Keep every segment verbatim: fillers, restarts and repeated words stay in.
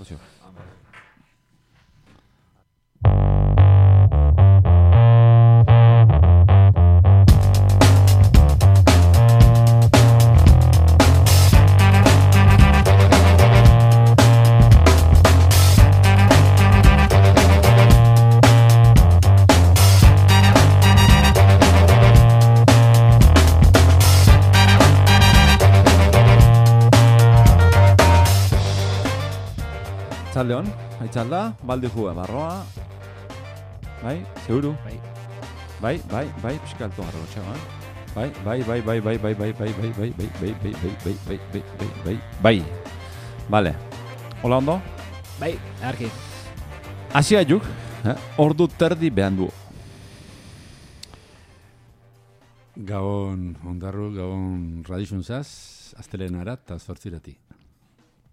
Lozio. Txaldeon, haitzalda, baldi jua, barroa. Bai, seguru? Bai. Bai, bai, bai, pixka alto garro txaban. Bai, bai, bai, bai, bai, bai, bai, bai, bai, bai, bai, bai, bai, bai, bai, bai, bai, bai, bai, bai. Vale. Hola ondo? Bai, arki. Asia juk, ordu terdi behan du. Gabon ondarru, gabon radixunzaz, astelenara eta zortzirati.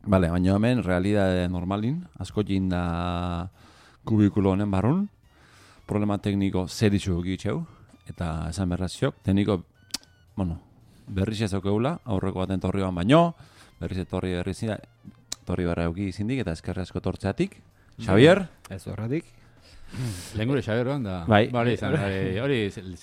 Vale, baina hemen, realidade normalin, asko jinda kubikulo honen barrun, problema tekniko zeritxu egitxeu, eta esan berraziok, tekniko, bueno, berriz ez aukeula, aurreko baten torri ban baino, berriz etorri berriz zida, torri berra euki zindik, eta eskerri asko tortzeatik. Xavier? Ez horretik. Lehen gure Xavier ban, da... Bai. Hori, hori,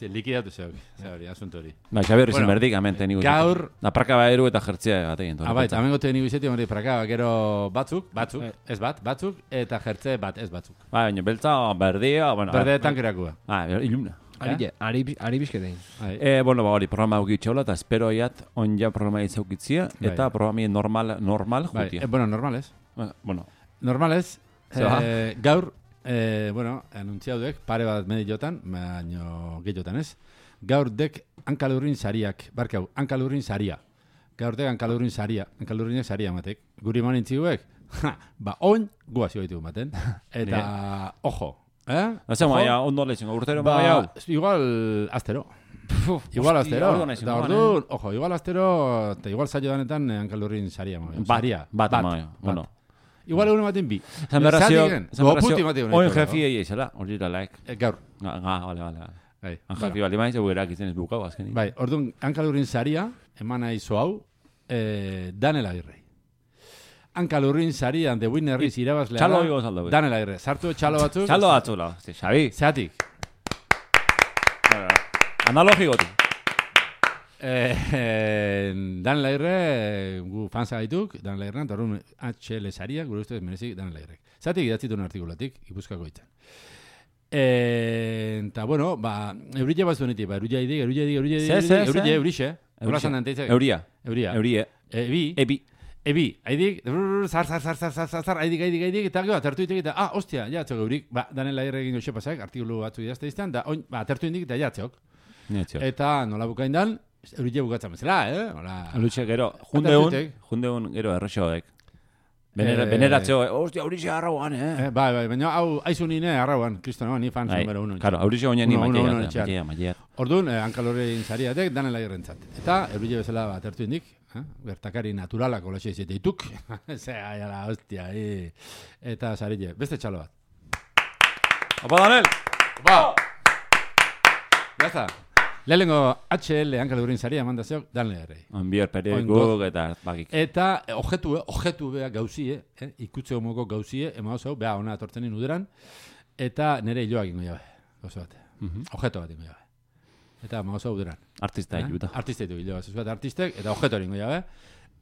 likidatu zeok, hori, asunto hori. Bai, Xavier izan Bueno, berdik, hemen tekniko. gaur- Da praka baeru eta jertzea batekin. Ah, bai, hemen gote nigu izeti, hori, praka, gero batzuk, batzuk, ez bat, batzuk, eta jertze bat, ez batzuk. Bai, baina beltza, berdia, bueno... Berde tankerakua. Ah, ilumna. Ari, ari, ari bizketein. Eh, bueno, ba, hori, programa egitxola, eta espero aiat onja programa izaukitzia, Bai. eta programi normal, normal Bai, jutia. eh, bueno, normales. Bueno, Normales, Zeba. eh, gaur, eh, bueno, anuntziaudek, pare bat mediotan, baino gehiotan ez, gaur dek hankalurrin sariak, barkau, hankalurrin saria. Gaur dek hankalurrin saria, hankalurrinek saria matek. Guri manin txiguek, ba, oin, guazio ditu maten. Eta, ojo, eh? Zer Ojo. maia, ondo lezen, urtero Ba, maia hau. igual astero. Igual hostia, astero. ordu naiz Eta igual, ordu, ojo, igual astero, eta igual saio danetan eh, hankalurrin saria. Bat, Saria, bat, bat, maia, bat. bueno. Igual egun ematen bi. Zan berrazio, Zatigen, zan goputi ematen berrazio, oin honetan, jefi egin zela, hori iralaik. Eh, Gaur, Ga, ga, vale, vale, vale. bai. Han jefi bali maiz, egu erak izen ez bukau azkenik. Bai, orduan, hankalurrin saria, eman nahi zo hau, eh, Daniel Agirre. Hankalurrin sarian de Winnerriz irabazlea Txalo da, igo saldo. Daniel Agirre. Sartu txalo batzuk. Txalo batzula, Xabi. Zeatik. Analogikotu. Eh, eh, Daniel Agirre, eh, gu fansa gaituk, Daniel Agirre, eta orduan H L saria, gure ustez merezik Daniel Agirre. Zeatik idatzitun artikulatik, Gipuzkoako hitzen. Eh, eta bueno, ba, eurille bat zuenetik, ba, euria idik, euria idik, euria idik, Ze, ze, euria ze? eurixe. Hola zan danteitzak. Euria. Euria. Eurie. Ebi. Ebi. Ebi, haidik, zar, zar, zar, zar, zar, zar, zar, haidik, haidik, haidik, eta gero, atertu ditek, eta, ah, ostia, ja, atzok eurik, ba, Daniel Agirre egin goxe pasak, artikulu batzu idazte izan, da, oin, ba, atertu indik, eta ja, atzok. Netxo. Eta nola bukain dan, eurile bukatzen bezala, eh? Hola. Lutxe gero, jundeun, Atertutik. jundeun gero errexoek. Benera, Eh, beneratzeo, ostia, aurixe harrauan, eh? Eh, bai, bai, baina hau, aizu nine arrauan, kristo, ni fan Bai, numero uno. claro, aurixe oinen ni Uno, uno, uno, maitea, etxean. maitea, maitea. Orduan, eh, hankalorrein zariatek, Daniel Agirrentzat. Eta, eurile bezala bat atertu indik, eh? Bertakari naturalak olaxe izete dituk. Zea, jala, hostia, eh. Eta sarille, beste txalo bat. Opa, Daniel! Ba! Ya está. Lehenengo H L hankalurrin saria mandazeok Daniel Agirrei. Anbier periodikuk eta bakik. Eta eh, objektu, eh, objektu beha gauzie, eh, ikutze homoko gauzie, ema oso, beha ona atortzen inuderan, eta nire hiloak ingo jabe, gauza bat. Mhm. Objektu bat ingo jabe. Eta ema oso uderan. Artista Eh? ikuta. Artista ditu hilo bat, bat artistek, eta objektu hori ingo jabe.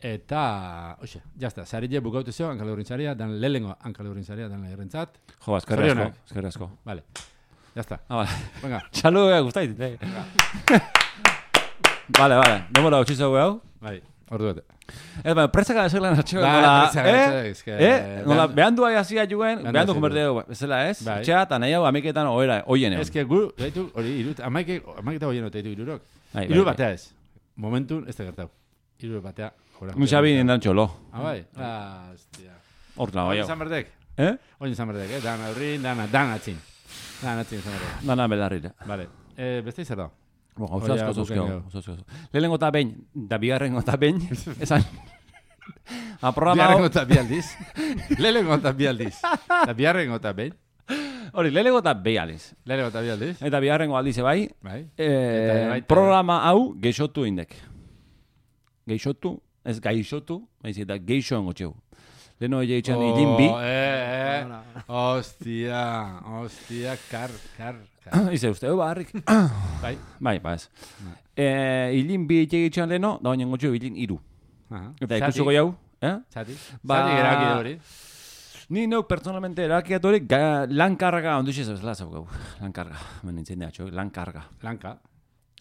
Eta, oxe, jazta, sarille bukaute zeo, hankalurrin saria, dan lehenengo hankalurrin saria, dan lehenentzat. Jo, eskerri asko, Zorionak. eskerri asko. Vale, jazta. Ah, vale. Venga, Txalo ega guztait, eh? Vale, vale, demora utxizo hau. bai, ordu bete. Ez, baina, presaka ezelan atxeko, Bai, nola, presaka, eh? eske, Eh? Nola, behan- behan du hasi juguen, Behan behan du du konberteu, bezala ez? Bai. Etxea, eta nahi hau amiketan oera, oien egon. Ez que gu, gaitu, hori, irut, amaike, amaiketa hoien ote ditu irurok. Bai, bai, Iru bai. batea ez. Momentun, ez da gertau. Iru batea. Ora. Un xabi nindan txolo. Ah, bai? Ah, hostia. Hortla, bai Oin hau. izan berdek? Eh? Oin izan berdek, eh? Dan aurrin, dan, dan atzin. Dan atzin izan berdek. Dana belarrira. Vale. Eh, beste izan da? Bo, gauza Oia, asko zozkeo. buken gauza asko. Lehenengo eta behin, da bigarrengo eta behin, esan... A programa Biarrengo hau, eta bi aldiz. Lehenengo eta bi aldiz. Eta biarrengo eta behin. hori, lehenengo eta behi aliz. Lehenengo eta bi aldiz. Eta bigarrengo aldize bai, Bai. eh, Eta baita- programa hau geixotu indek. Geixotu, ez gaixotu, baizik eta geixo engotxeu. leno ege itxan ilinbi. Eh, eh. Hostia, hostia, kar, kar, kar. Ize uste, barrik. Bai. Bai, ba ez. Eh, ilinbi ege itxan leno, da baina gotxo ilin iru. Aha. Eta ikusiko jau, eh? Zati? Ba- Zati erabaki hori. Ni neuk personalmente erakiatu hori lan karga, ondu xez bezala zau gau. Lan karga, hemen nintzen da, txo, lan karga. Lanka.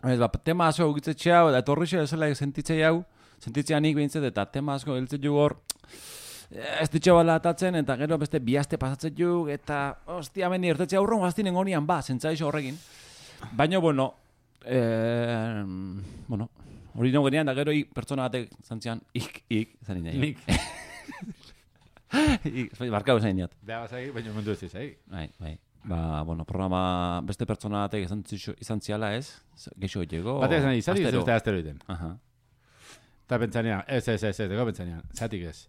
Ez, ba, tema asko egitzetxe hau, eta etorri xe bezala sentitzei hau, sentitzea nik behintzet, eta tema asko geltzen ju hor, ez ditxe bala atatzen, eta gero beste bihazte pasatzen ju, eta, ostia, meni, ertetzea aurron gaztinen honian, ba, zentzaizo horrekin. Baina, bueno, eh, bueno, hori no genean, da gero ik, pertsona batek zantzian, ik, ik, zan nina. Nik. Ik, barkau zain niat. Beha bazai, baina mundu ez izai. Bai, bai. Ba, bueno, programa beste pertsona batek izan, zixo- izan ziala ez, geixo llego. Batek esan, izari ez astero. uste astero iten. Aha. Eta pentsanean, ez, ez, ez, ez, ego pentsanean, zatik ez.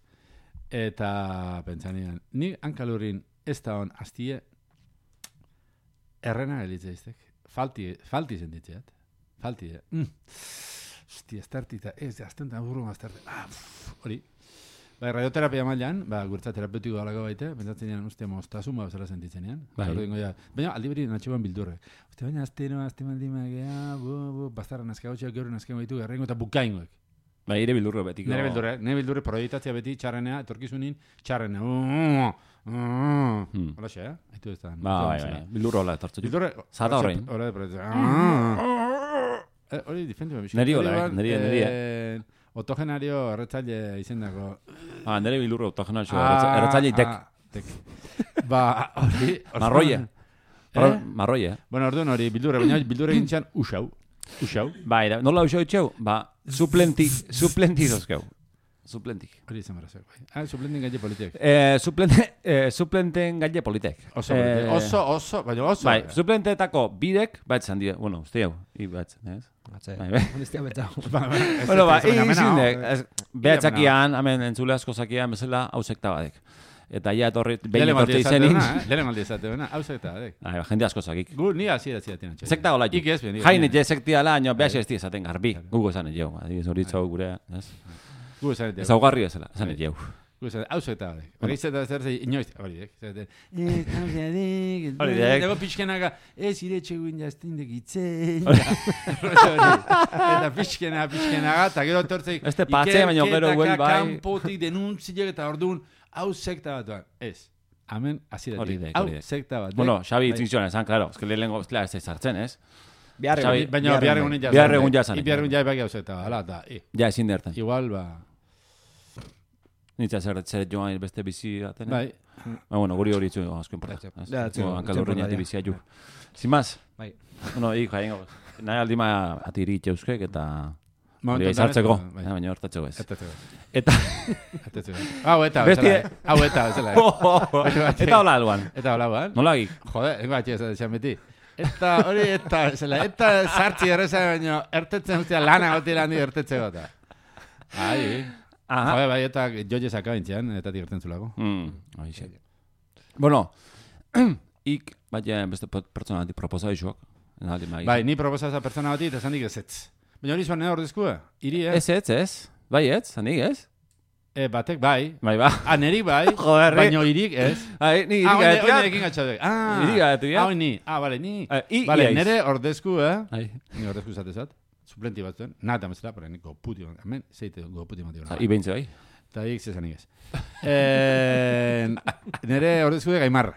Eta pentsanean, ni hankalurin ez da hon aztie errena gelitze iztek. Falti, falti sentitzeat. Falti, eh? Mm. Hostia, estartita, ez, aztentan burru maztarte. Ah, pff, hori. Bai, radioterapia mailan, ba, gurtza terapeutiko galako baite, pentsatzen ean, uste, moztasun bat bezala sentitzen ean. Bai. Ja, baina, aldi beri natxeban bildurre. Uste, baina, azteno, azte maldimagea, bu, bu, bastarra nazkautxeak, gaur nazkago baitu, garrengo eta bukaingoek. Ba, ire bildurro betiko. Nere bildurre, nere bildurre proiektatzea beti txarrenea, etorkizunin, txarrenea. Uh, uh, Hmm. Hola xe, eh? Aitu ez da. Ba, bai, bai. Bildurro hola etortzu. Bildurre... Zata horrein. Hora de proiektatzea. Eh, Hori, difentu behar. Neri hola, eh? Neri, neri, Otogenario erretzaile izendako. Ah, nere bildurro autogenal xo, erratzaile tek. tek. Ba, hori... Marroie. Eh? Marroie, eh? Bueno, orduan hori, bildurre, baina bildurre gintxan usau. Usau. Bai, da, nola usau itxeu? Ba, suplenti, suplenti dozkeu. Suplentik. Hori izan barra bai. Ah, suplentin gaile politek. Eh, suplente, eh, suplenten gaile politek. Oso, Eh, politek. oso, oso, baina oso. Bai, suplenteetako bidek, batzan dira, bueno, uste hau, i batzen, ez? Batze. Bai, bai. Honestia betau. Bueno, ba, egin zindek, behatzakian, hemen entzule asko zakian, bezala, hau sekta badek. Eta ja etorri, behin etorri izenin. Lehen maldi esate bena, hau sekta badek. Ai, jende asko zakik. Gu, ni hasi da zidatzen. Sekta gola Ik ez, ben. Jain etxe sektia la, nio, behaz ez esaten garbi. Gugo esan etxeu, adibiz hori txau gure, ez? Gu esan Ez augarri ezela, esan etxeu. Gu esan, hau sekta badek. Hori zeta zer zei, inoiz, hori dek. Zaten, Hori dek. dago pixkenaga, ez ire txeguin jaztindek itzen. Eta pixkena, pixkenaga, eta gero tortzeik. Este patxe, baina gero huel bai. Kanpotik denuntziak eta orduan, hau sekta bat duan. Ez. Amen, aziratik. Hori dek, Hau hori dek. sekta bat. Bueno, Xabi itzintxoan esan, claro, es que lehenengo, ez ez sartzen, ez? Bihar Xabi, egun. Baina bihar egunin jazan. Bihar egun jazan. Bihar egun jai baki hau sekta, ala, eta, i. Ja, ezin dertan. Igual, ba, Nitza zer, zer joan beste bizi baten. bai. Ba, bueno, guri hori itzu asko importa. Ja, itzu, Hankalurrein itzu, ati ja. bizia ju. Sin más. Bai. Bueno, ik jaingo. Nahi aldima atiri itxeuskek eta... Momentu Hori izartzeko, honetan, bai. eh, baina hortatzeko ez. Eta zego. Eta... Eta zego. Hau eta, Besti- bezala. eh. Hau eta, bezala. Eta hola alban. Eta hola, ban? Nola gik? Jode, engo atxe ez da beti. Eta hori, eta, bezala, eta sartzi erreza baino, ertetzen ustea lana goti lan di ertetzeko eta. Ai, Aha. jode, bai, eta joje sakabintzean, eta tirten zulako. Mm, horixe. Bueno, ik, baina beste pertsona bati proposa izuak. Bai, ni proposaza pertsona bati, eta zandik ez ez. Baina hori zuan nena ordezkua, iri, eh? Ez, ez, ez. Bai, ez, zanik ez? E, batek bai. Bai, ba. Ah, nerik bai, Joder, baina irik ez. Ai, ni Ah, iriga oine- etia. oinerekin gatxadek. Ah, Iriga etia. ah, ni. Ah, vale, ni. Eh, i- Vale, iaiz. nere ordezku, eh? Ai. Ni ordezku zatezat. Suplenti batzuen. Nata mesela, pero ni goputi. Hemen, zeite goputi matio. Ah, I behintze bai. Eta ik zezanik ez. Eh, nere ordezku de Gaimar.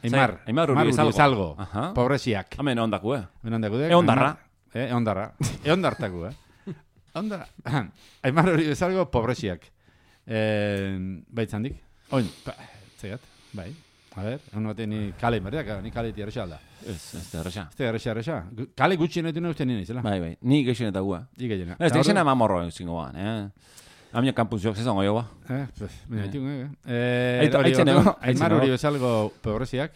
Aimar. Zai, Aimar Uri Bezalgo. Bezalgo. Aha. Pobresiak. Hemen ondaku, eh? Hemen ondako dek. Eondarra. Aimar- Eh, eondarra. Eondartaku, eh? Ondarra. Aimar hori bezalgo pobresiak. Eh, baitzandik. Oin, pa, zegat, bai. A ver, hon batean ni kale inberdeak, ni kale tierresa alda. Ez, ez da erresa. Ez da erresa, erresa. Kale gutxi netu neuzten nien izela. Bai, bai. Ni geixen eta gua. Ike jena. Ez, da izena mamorro zingo ban, eh? Amina kampus jok zezango jo ba. Eh, pues, mira, tiun, eh. Eh, Aito- hori, aitzen orduan, ego, Aimar aitzen hori ego. bezalgo pobresiak.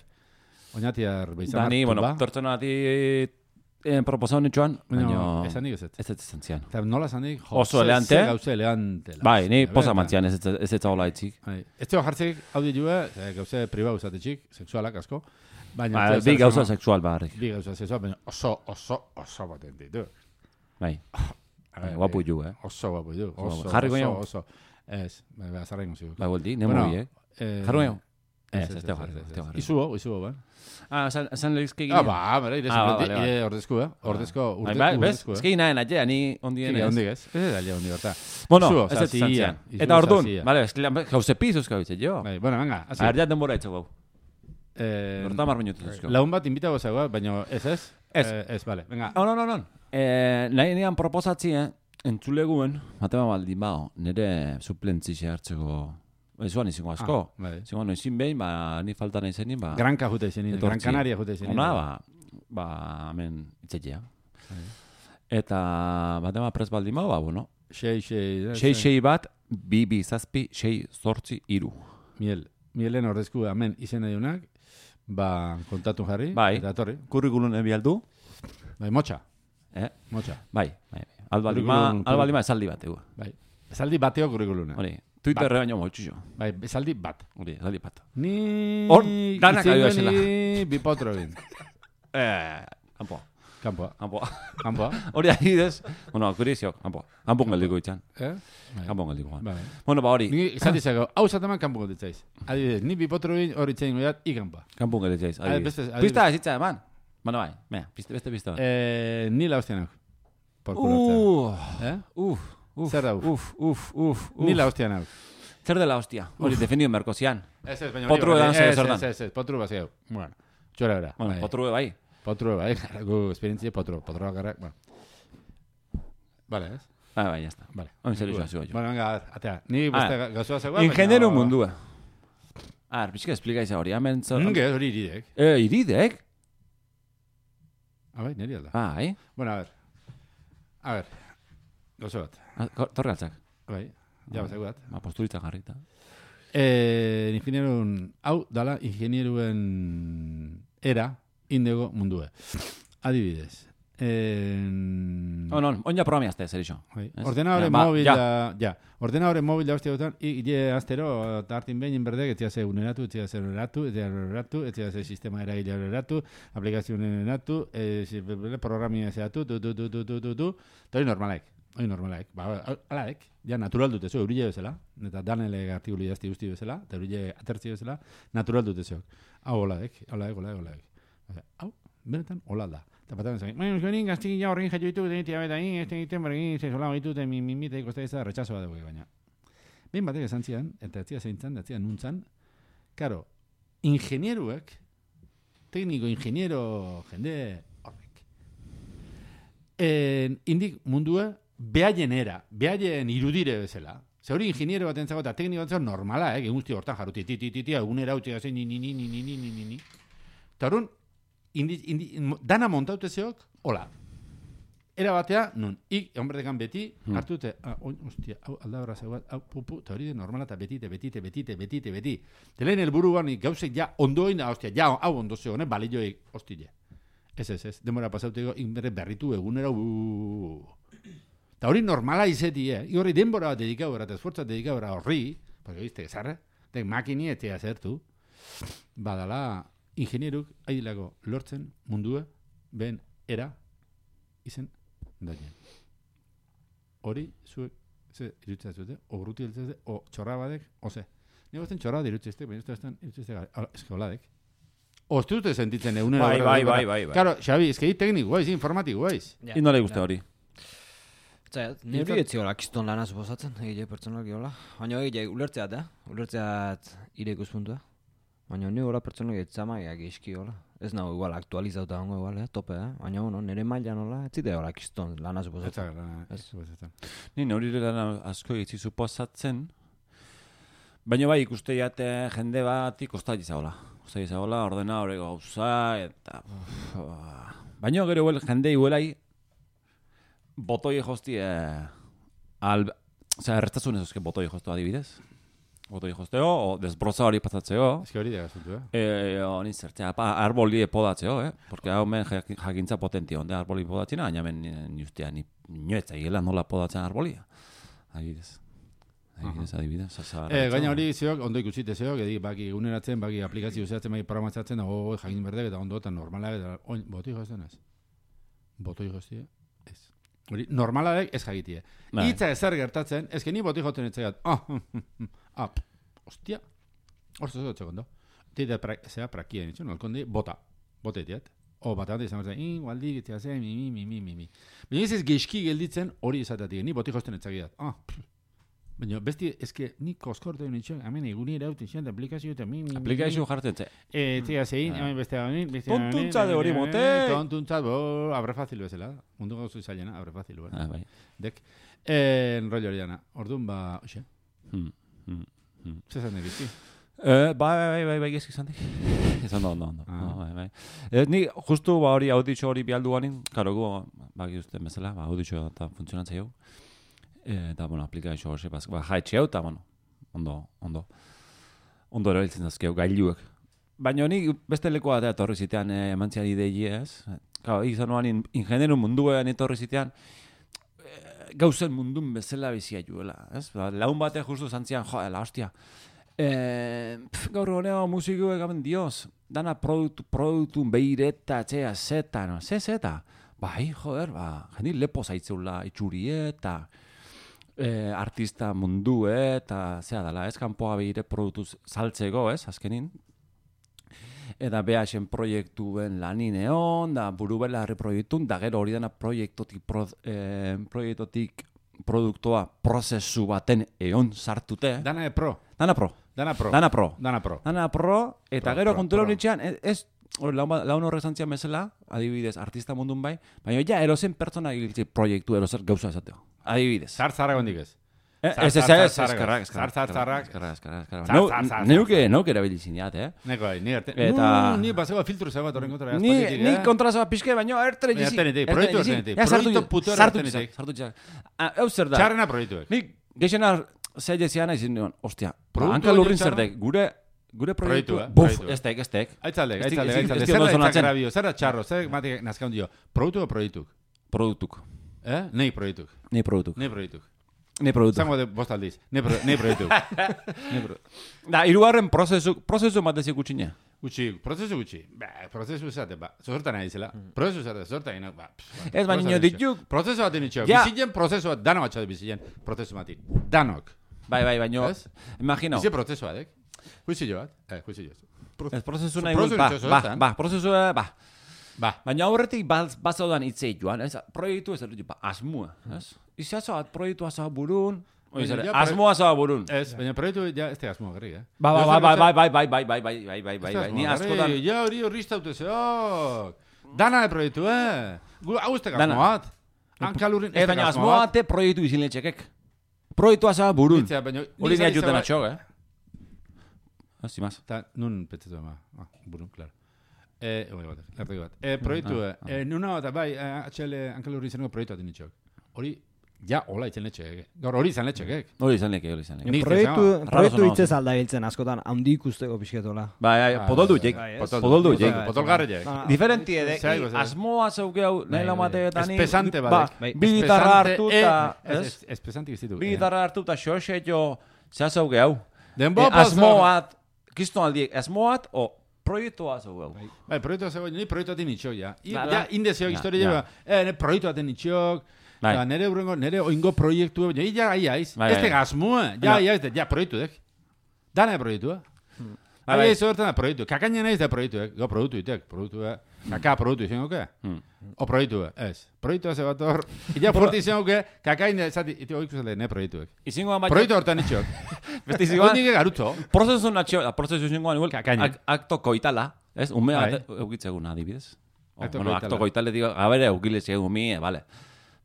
Oñatiar beizamar. Da ni, bueno, tuba. pertsona bati eh, proposa honetxoan, baina... Baina, esan nik ez ez. Ez ez izan zian. Eta nola esan nik, Oso elegante. Gauze elegante. la Bai, ni hostia, posa benetan. mantzian ez ez ez ez hola itzik. Bai. Ez teo jartzik audiolua, eh, gauze pribau zatetxik, sexualak asko. Baina, Ba, ez teo bi zer gauza esango- sexual barrik. Bi gauza sexual, baina oso, oso, oso potente, du. Bai, A ver, guapu ju, eh? Oso guapo, du. guapo. Oso, Jarri oso, goño? oso. Ez, bai, bai, azarra ingo zigu. Bai, boldi, nemo Bueno, biek. Eh, Jarro Ez, Ez, ez, ez ez, teo ez, jarri, ez, ez ez. teo jarri. Izubo, izubo, ba. Ah, esan, esan lehizke Ah, ba, bera, ire, Ah, ah, vale, vale. ire ordezku, eh? Ordezko, Bai, urde, bai, bez, urdezku, eh? ez que nahen atea, ni ondien Sí, ez. ondik ez. Ez da, ondik berta. Bueno, Izubo, ez ez zazia, zantzian. izubo, Eta orduan, zazia. vale, ez que jauze pizuz kabitze, jo. Bai, bueno, venga, hasi. A ver, ja denbora etxo gau. Eh, Horta mar minutu zuzko. Laun bat inbitago zagoa, baina ez ez? Ez. Eh, ez, vale, venga. No, no, no, no. Eh, nahi nian proposatzi, eh, entzuleguen, matema baldin bao, nire suplentzixe hartzeko, ezuan izango asko. Ah, bai. Izango noizin behin, ba, ni falta nahi zenin, ba, Granka jute izenin, Gran etortzi. Canaria jute izenin. ona, ba, ba, hemen itzetia. Eta, batema prez baldin bao, ba, bueno, Xei, xei. sei, sei bat, bi, bi, zazpi, sei, zortzi, iru. Miel. Mielen ordezku hemen izena diunak, ba, kontatu jarri, Bai. eta torri. Kurrikulun ebialdu, Bai, motxa, eh? motxa. Bai, bai, bai. Albalima, Kurrikulun- albalima esaldi bat, egu. Bai. Esaldi bateo kurrikuluna. Hori, Twitterre baino motxu jo. Bai, esaldi bat. Hori, esaldi bat. Ni... Hor, danak itzengo ari bazela. ni Bipotro egin. Eh, kanpoa, Kampoa, kanpoa. kampoa. Hori adibidez, bueno, kurizio, kanpoa. Kanpoan geldiko itxan. Eh? Bai. Kanpoan geldiko. Bai. Bueno, ba hori, Ni izan dizago, hau zataman kanpo gonditzaiz. Adibidez, ni Bipotro egin hori itzain goiat, ikanpa. kanpoan gelditzaiz. Ade, Adibidez. beste- adibidez. Pista ezitza eman. Bueno, bai, mea, piste, beste pista bat. Eh, ni la hostia nauk. Por culo hartzea. Uh, Eh? uf, uf, Zer da uf? uf, uf, uf, uf. Ni la hostia nauk. Zer dela hostia. Hori, definido merkozian. Ez ez, baina... Potru hori edan bai, zer ez, zer dan. Ez, ez, ez, potru bat zeu. Bueno, txora bera. Bueno, bai. potru bai. Potru, bai, gu esperientzia potru. Potru agarrak, bueno. Vale, ez? Bai, bai, ya está. Vale. Oin zer izan zua jo. Bueno, venga, atea. Ni beste Ah, gazoa zegoa, Ingeniero mundua. A ver, pixka esplikaitza hori. Hemen zer... Nge, hori iridek. Eh, iridek? Ah, bai, niri alda. Bai. Bueno, a ver. A ver. Gauza bat. Ah, ko- Torgaltzak. Bai, ja bat zegoat. Ba, posturitza jarrita. Eh, ingenieruen, hau dala ingenieruen era indego mundue. Adibidez. En... Oh, no, oin ja programi azte, zer iso. Bai. Ez? Ordenadore Ja, ba, mobil ja. da, ja. Ordenadore mobil da uste dutan, ile astero, tartin behin inberdek, etzia ze uneratu, etzia ze uneratu, etzia uneratu, etzia ze sistema eragile uneratu, aplikazio uneratu, eh, programia zehatu, du, du, du, du, du, du, du, eta hori normalek. Hori normalaik. Ba, alaek, ja, natural dute zo, eurile bezala, eta danele artikulu idazti guzti bezala, eta eurile atertzi bezala, natural dute zo. Hau olaek, olaek, olaek, olaek. Osea, hau, benetan, hola da. Eta patatzen zain, bueno, euskorin gaztik ja horrein jatu ditu, denitia beta egin, ez egiten bergin, ze sola ditu, mi mi mi teiko ez da retxasoa dugu, baina. Behin batek esan zian, eta ez zia zeintzan, ez zia nuntzan, karo, ingenieruek, tekniko, ingeniero, jende horrek, en, indik mundua, behaien era, behaien irudire bezala. Ze hori ingeniero bat entzago eta tekniko bat normala, eh, guzti hortan jarruti, ti, ti, ti, ti, egunera utzi gazen, ni, ni, ni, ni, ni, ni, ni, ni, ni. Eta horren, indi, indi, dana montaute zeok, hola. Era batea, nun, ik, honberdekan beti, Hmm. hartute, ah, oin, ostia, hau, aldabra zegoat, hau, pupu, eta hori de normala, eta betite, betite, betite, betite, beti. Telen helburuan, gauzek ja, ondoin, da, ostia, ja, hau ondo zegoen, eh, balioik, ostile. Ez, ez, ez, demora pasauteko, inbere berritu egunera, uuuu. Eta hori normala izeti, eh? I horri denbora bat dedikaura, eta esfortza dedikaura horri, porque viste, zarra, dek makini etea zertu, badala, ingenieruk, haidilako lortzen mundua, ben era, izen, daien. Hori, zuek, ze, irutzea zute, o gruti eltzete, o txorra badek, o ze. Nik gozten txorra dirutzezte, baina ez da irutzezte, eske holadek. O ez dute sentitzen egunera. Bai, bai, bai, bai, bai. Claro, Xabi, eske hi tekniko, guaiz, informatiko, guaiz. Ja. Ino le guste hori. Zait, nire etzi hola, kiston lana suposatzen, egile pertsonalki hola. Baina egile ulertzeat, eh? Ulertzeat ire ikuspuntua. Baina nire hola pertsonalki etzamaiak iski hola. Ez nago igual aktualizauta hongo igual, eh? Tope, eh? Baina bueno, nire mailan hola, ez zide hola kiston lana Ez suposatzen. da, lana, ez Ez. suposatzen. Ni hori lana asko egitzi suposatzen, baina bai ikuste jate jende bat ikostai izagola. Ikostai izagola, ordena hori gauza, eta... Uf, baina gero huel, jende iguelai, botoi josti, eh, al... Osea, errestasun ez botoi jostu adibidez. Botoi josteo, o desbroza hori pasatzeo. Ez que hori da gazutu, eh? Eh, honi zertzea, pa, arboli podatzeo, eh? Porque hau men jak- jakintza potentio, onde arboli podatzena, baina men justia ni inoetza higela nola podatzen arbolia. Adibidez. Adibidez, adibidez. Sasa, Eh, gaina hori zeok, ondo ikusite zeok, edik, baki eguneratzen, baki aplikazio zehatzen, baki programatzatzen, da, oh, jakin berdek, eta ondo, eta normala, eta oin, botoi jozten ez? Botoi joztie? Ez. Hori, normaladek ez jagitie. Bai. Itza ezer gertatzen, ezke ni boti joten etzegat. Ah, ah, hostia. Horzo zo txekondo. Tite zea prakia nitzun, alkondi, bota. Bota itiat. O, bat egin izan zen, igualdi, gitzea zen, mi, mi, mi, mi, mi, mi. Baina ez ez geizki gelditzen hori izatetik, ni boti josten etzegat. Ah, baina, besti, ezke, ni koskortu nitxon, hemen eguni erauten zian, aplikazio eta mi, mi, mi. Aplikazio jartzen ze. Eh, tia zein, hemen beste hemen, beste hemen. Tontuntza de hori mote. Tontuntza, bo, abre fácil bezala. Mundu gauzu izailena, abre fácil, bueno. Ah, bai. Dek. Eh, enrollo hori dana. Orduan, ba, oxe. Hmm, hmm, hmm. Zezan egizki. Eh, bai, bai, bai, bai, gezki zantik. Ez ondo, ondo, ondo. Ah. No, bai, bai. Eh, ni justu ba hori auditxo hori bialdu ganin, karo gu, baki uste bezala, ba, auditxo eta funtzionatza jau. Eh, eta, bueno, aplikazio hori, ba, jaetxe hau, eta, bueno, ondo, ondo. Ondo erabiltzen dazkeu, gailuek. Baina ni beste lekoa da etorri zitean eh, emantzian idei ez. Claro, izan noan in, ingenieru munduean etorri zitean, eh, gauzen mundun bezala bizia juela, ez? Ba, laun bate justu zantzian, jo, la hostia. Eh, pf, gaur honeo musikoek gaben dioz, dana produktu, produktu beireta, txea, zeta, no? Ze zeta? Bai, joder, ba, jendi lepo zaitzeula itxurie eta eh, artista mundu, eta zea dala, ez kanpoa beire produktu saltzeko, ez, azkenin. Eta behasen proiektuen lanin egon, da buru belarri proiektun, da gero hori dana proiektotik, pro, eh, proiektotik produktoa prozesu baten egon sartute. Dana e pro. Dana pro. Dana pro. Dana pro. Dana pro. Dana pro, eta Pro, gero pro, kontura pro. honitxean, ez, hori laun, laun horrek zantzian bezala, adibidez, artista mundun bai, baina ja, erozen pertsona giltze proiektu erozer gauza esateo. Adibidez. Zar zarra gondik ez. Eh, Zar, Ez, ez, zar, ez, zar, eskerrak, zar, zar, zarrak. eskerrak, eskerrak, eskerrak. Zar, Neu- zar, zar, Neuke, zar. neuke erabilizineat, eh? Neko, ni erte. Eta- No, ni basego filtru zego bat horren kontra. Ni, ni kontra zaba pixke, baina ertere Baina jizik. ertenetik, proiektu ertenetik. Ja, sartu Proiektu puto sartu ertenetik. sartu txak. Ah, hau zer da. Txarrena proiektuek. Ni geixena zeile ziana izin nion, ostia, Produktu hanka lurrin hori txarra? zerdek, gure, gure proiektu, Proiektua, buf, proiektua. ez tek, ez tek. Aitzaldek, Ez di- aitzaldek, ez di- ez aitzaldek. di Zer da ondo aitzak sonatzen. grabio, zer da txarro, zer matik nazkaun dio. Produktu o proiektuk? Produktuk. Eh? Nei proiektuk. Nei produktuk. Nei proiektuk. Nei produktuk. Zango de bost aldiz. Nei pro- nei proiektuk. Nei pro- Da, hirugarren prozesu, prozesu matezik utxine. Gutxi, prozesu gutxi. Ba, prozesu zate, ba. Zortan nahi zela. Prozesu zate, zortan nahi, ba. pff, ba, Ez, baina prozesu dituk- ditxo. Prozesu bat dinitxo. Ja. Bizien prozesu bat, dano batxat bizien. Prozesu mati. Danok. Bai, bai, baino, Ez? imagino. Bizi prozesu bat, eh? Juizio bat. Eh, juizio bat. Ez prozesu Zo- nahi prozesu guz, ba, itxoso, ba, ezta? ba, prozesu, eh, ba. Ba. Baina aurretik bazaudan itzei joan, ez? Proiektu ez dut, ba, asmua, ez? Izazo bat proiektua zaba burun, Baina oizare, ja, proiek- asmoa zaba burun. Ez, baina proiektu ja ez te asmo garri, eh? Ba, ba, ba, ba, bai, bai, bai, bai, bai, bai, bai, bai, bai, bai, ni askotan... Ja, hori horri iztaute zeok. Dana de proiektu, eh? Gu, hau estek Dana. asmoat. Hankalurrin Ez, baina asmoa te proiektu izin letxekek. Proiektua zaba burun. Itzea, baina... Hori nia juten atxok, eh? Hasi maz. Ta, nun petzetu ama. Ah, burun, claro. Eh, oi bat, lertegi bat. Eh, proiektu, Ah, eh, nuna bat, bai, eh, H L hankalurri izaneko proiektu bat initxok. Hori, ja, hola itzen letxekek. Gaur hori izan letxekek. Hori izan leke, hori izan leke. Nik Proiektu, zezama. proiektu Raro hitzez alda biltzen askotan, handi ikusteko pixketola. Bai, bai, potoldu jek. bai, ez. Potoldu Potol- jek. Potolgarri jek. Ah, Diferenti edek, Zer algo, zer. asmoa zeuge hau, nahi bai. lamateetan Espesante ba, badek. Bai. bi gitarra Espesante, hartuta, eh, ez? es- Espesante izitu. Bi gitarra hartuta xoxe jo, zea zeuge hau. Denbo Eh, asmoat, kiston aldiek, asmoat, o proiektua zeuge hau. Bai, proiektu zego, ni proiektu aten itxok, ja. I, Ba, ja, ba. indezio Ja, historia, ja. ja. eh, ne proiektu aten itxok, Bai. ja, nere urrengo, nere oingo proiektu, baina ja, ai, aiz. Bai, Ez bai. te gasmua, ja, Ja. ja, ez ja, proiektu dek. Dana proiektu, eh? Bai, Ai, bai. ez hortan da proiektu. Kakaina naiz da proiektu, eh? Go produktu itek, produktu, eh? Kaka produktu izango ke? Hmm. O proiektu, eh? Ez. Proiektu ze bat hor. Ila fuerte izango ke, kakaina, zati, ite oiku zale, ne proiektuek. Izingoan baina, Proiektu hortan itxok. beste izingoan, Hondik garutzo. prozesu natxio, prozesu izingoan, igual, Kakaina. ak- akto koitala, ez? Ume Bai. bat eukitzegun adibidez. O, Akto bueno, koitala. akto koitale digo, gabere eukilez egun mi, eh, vale.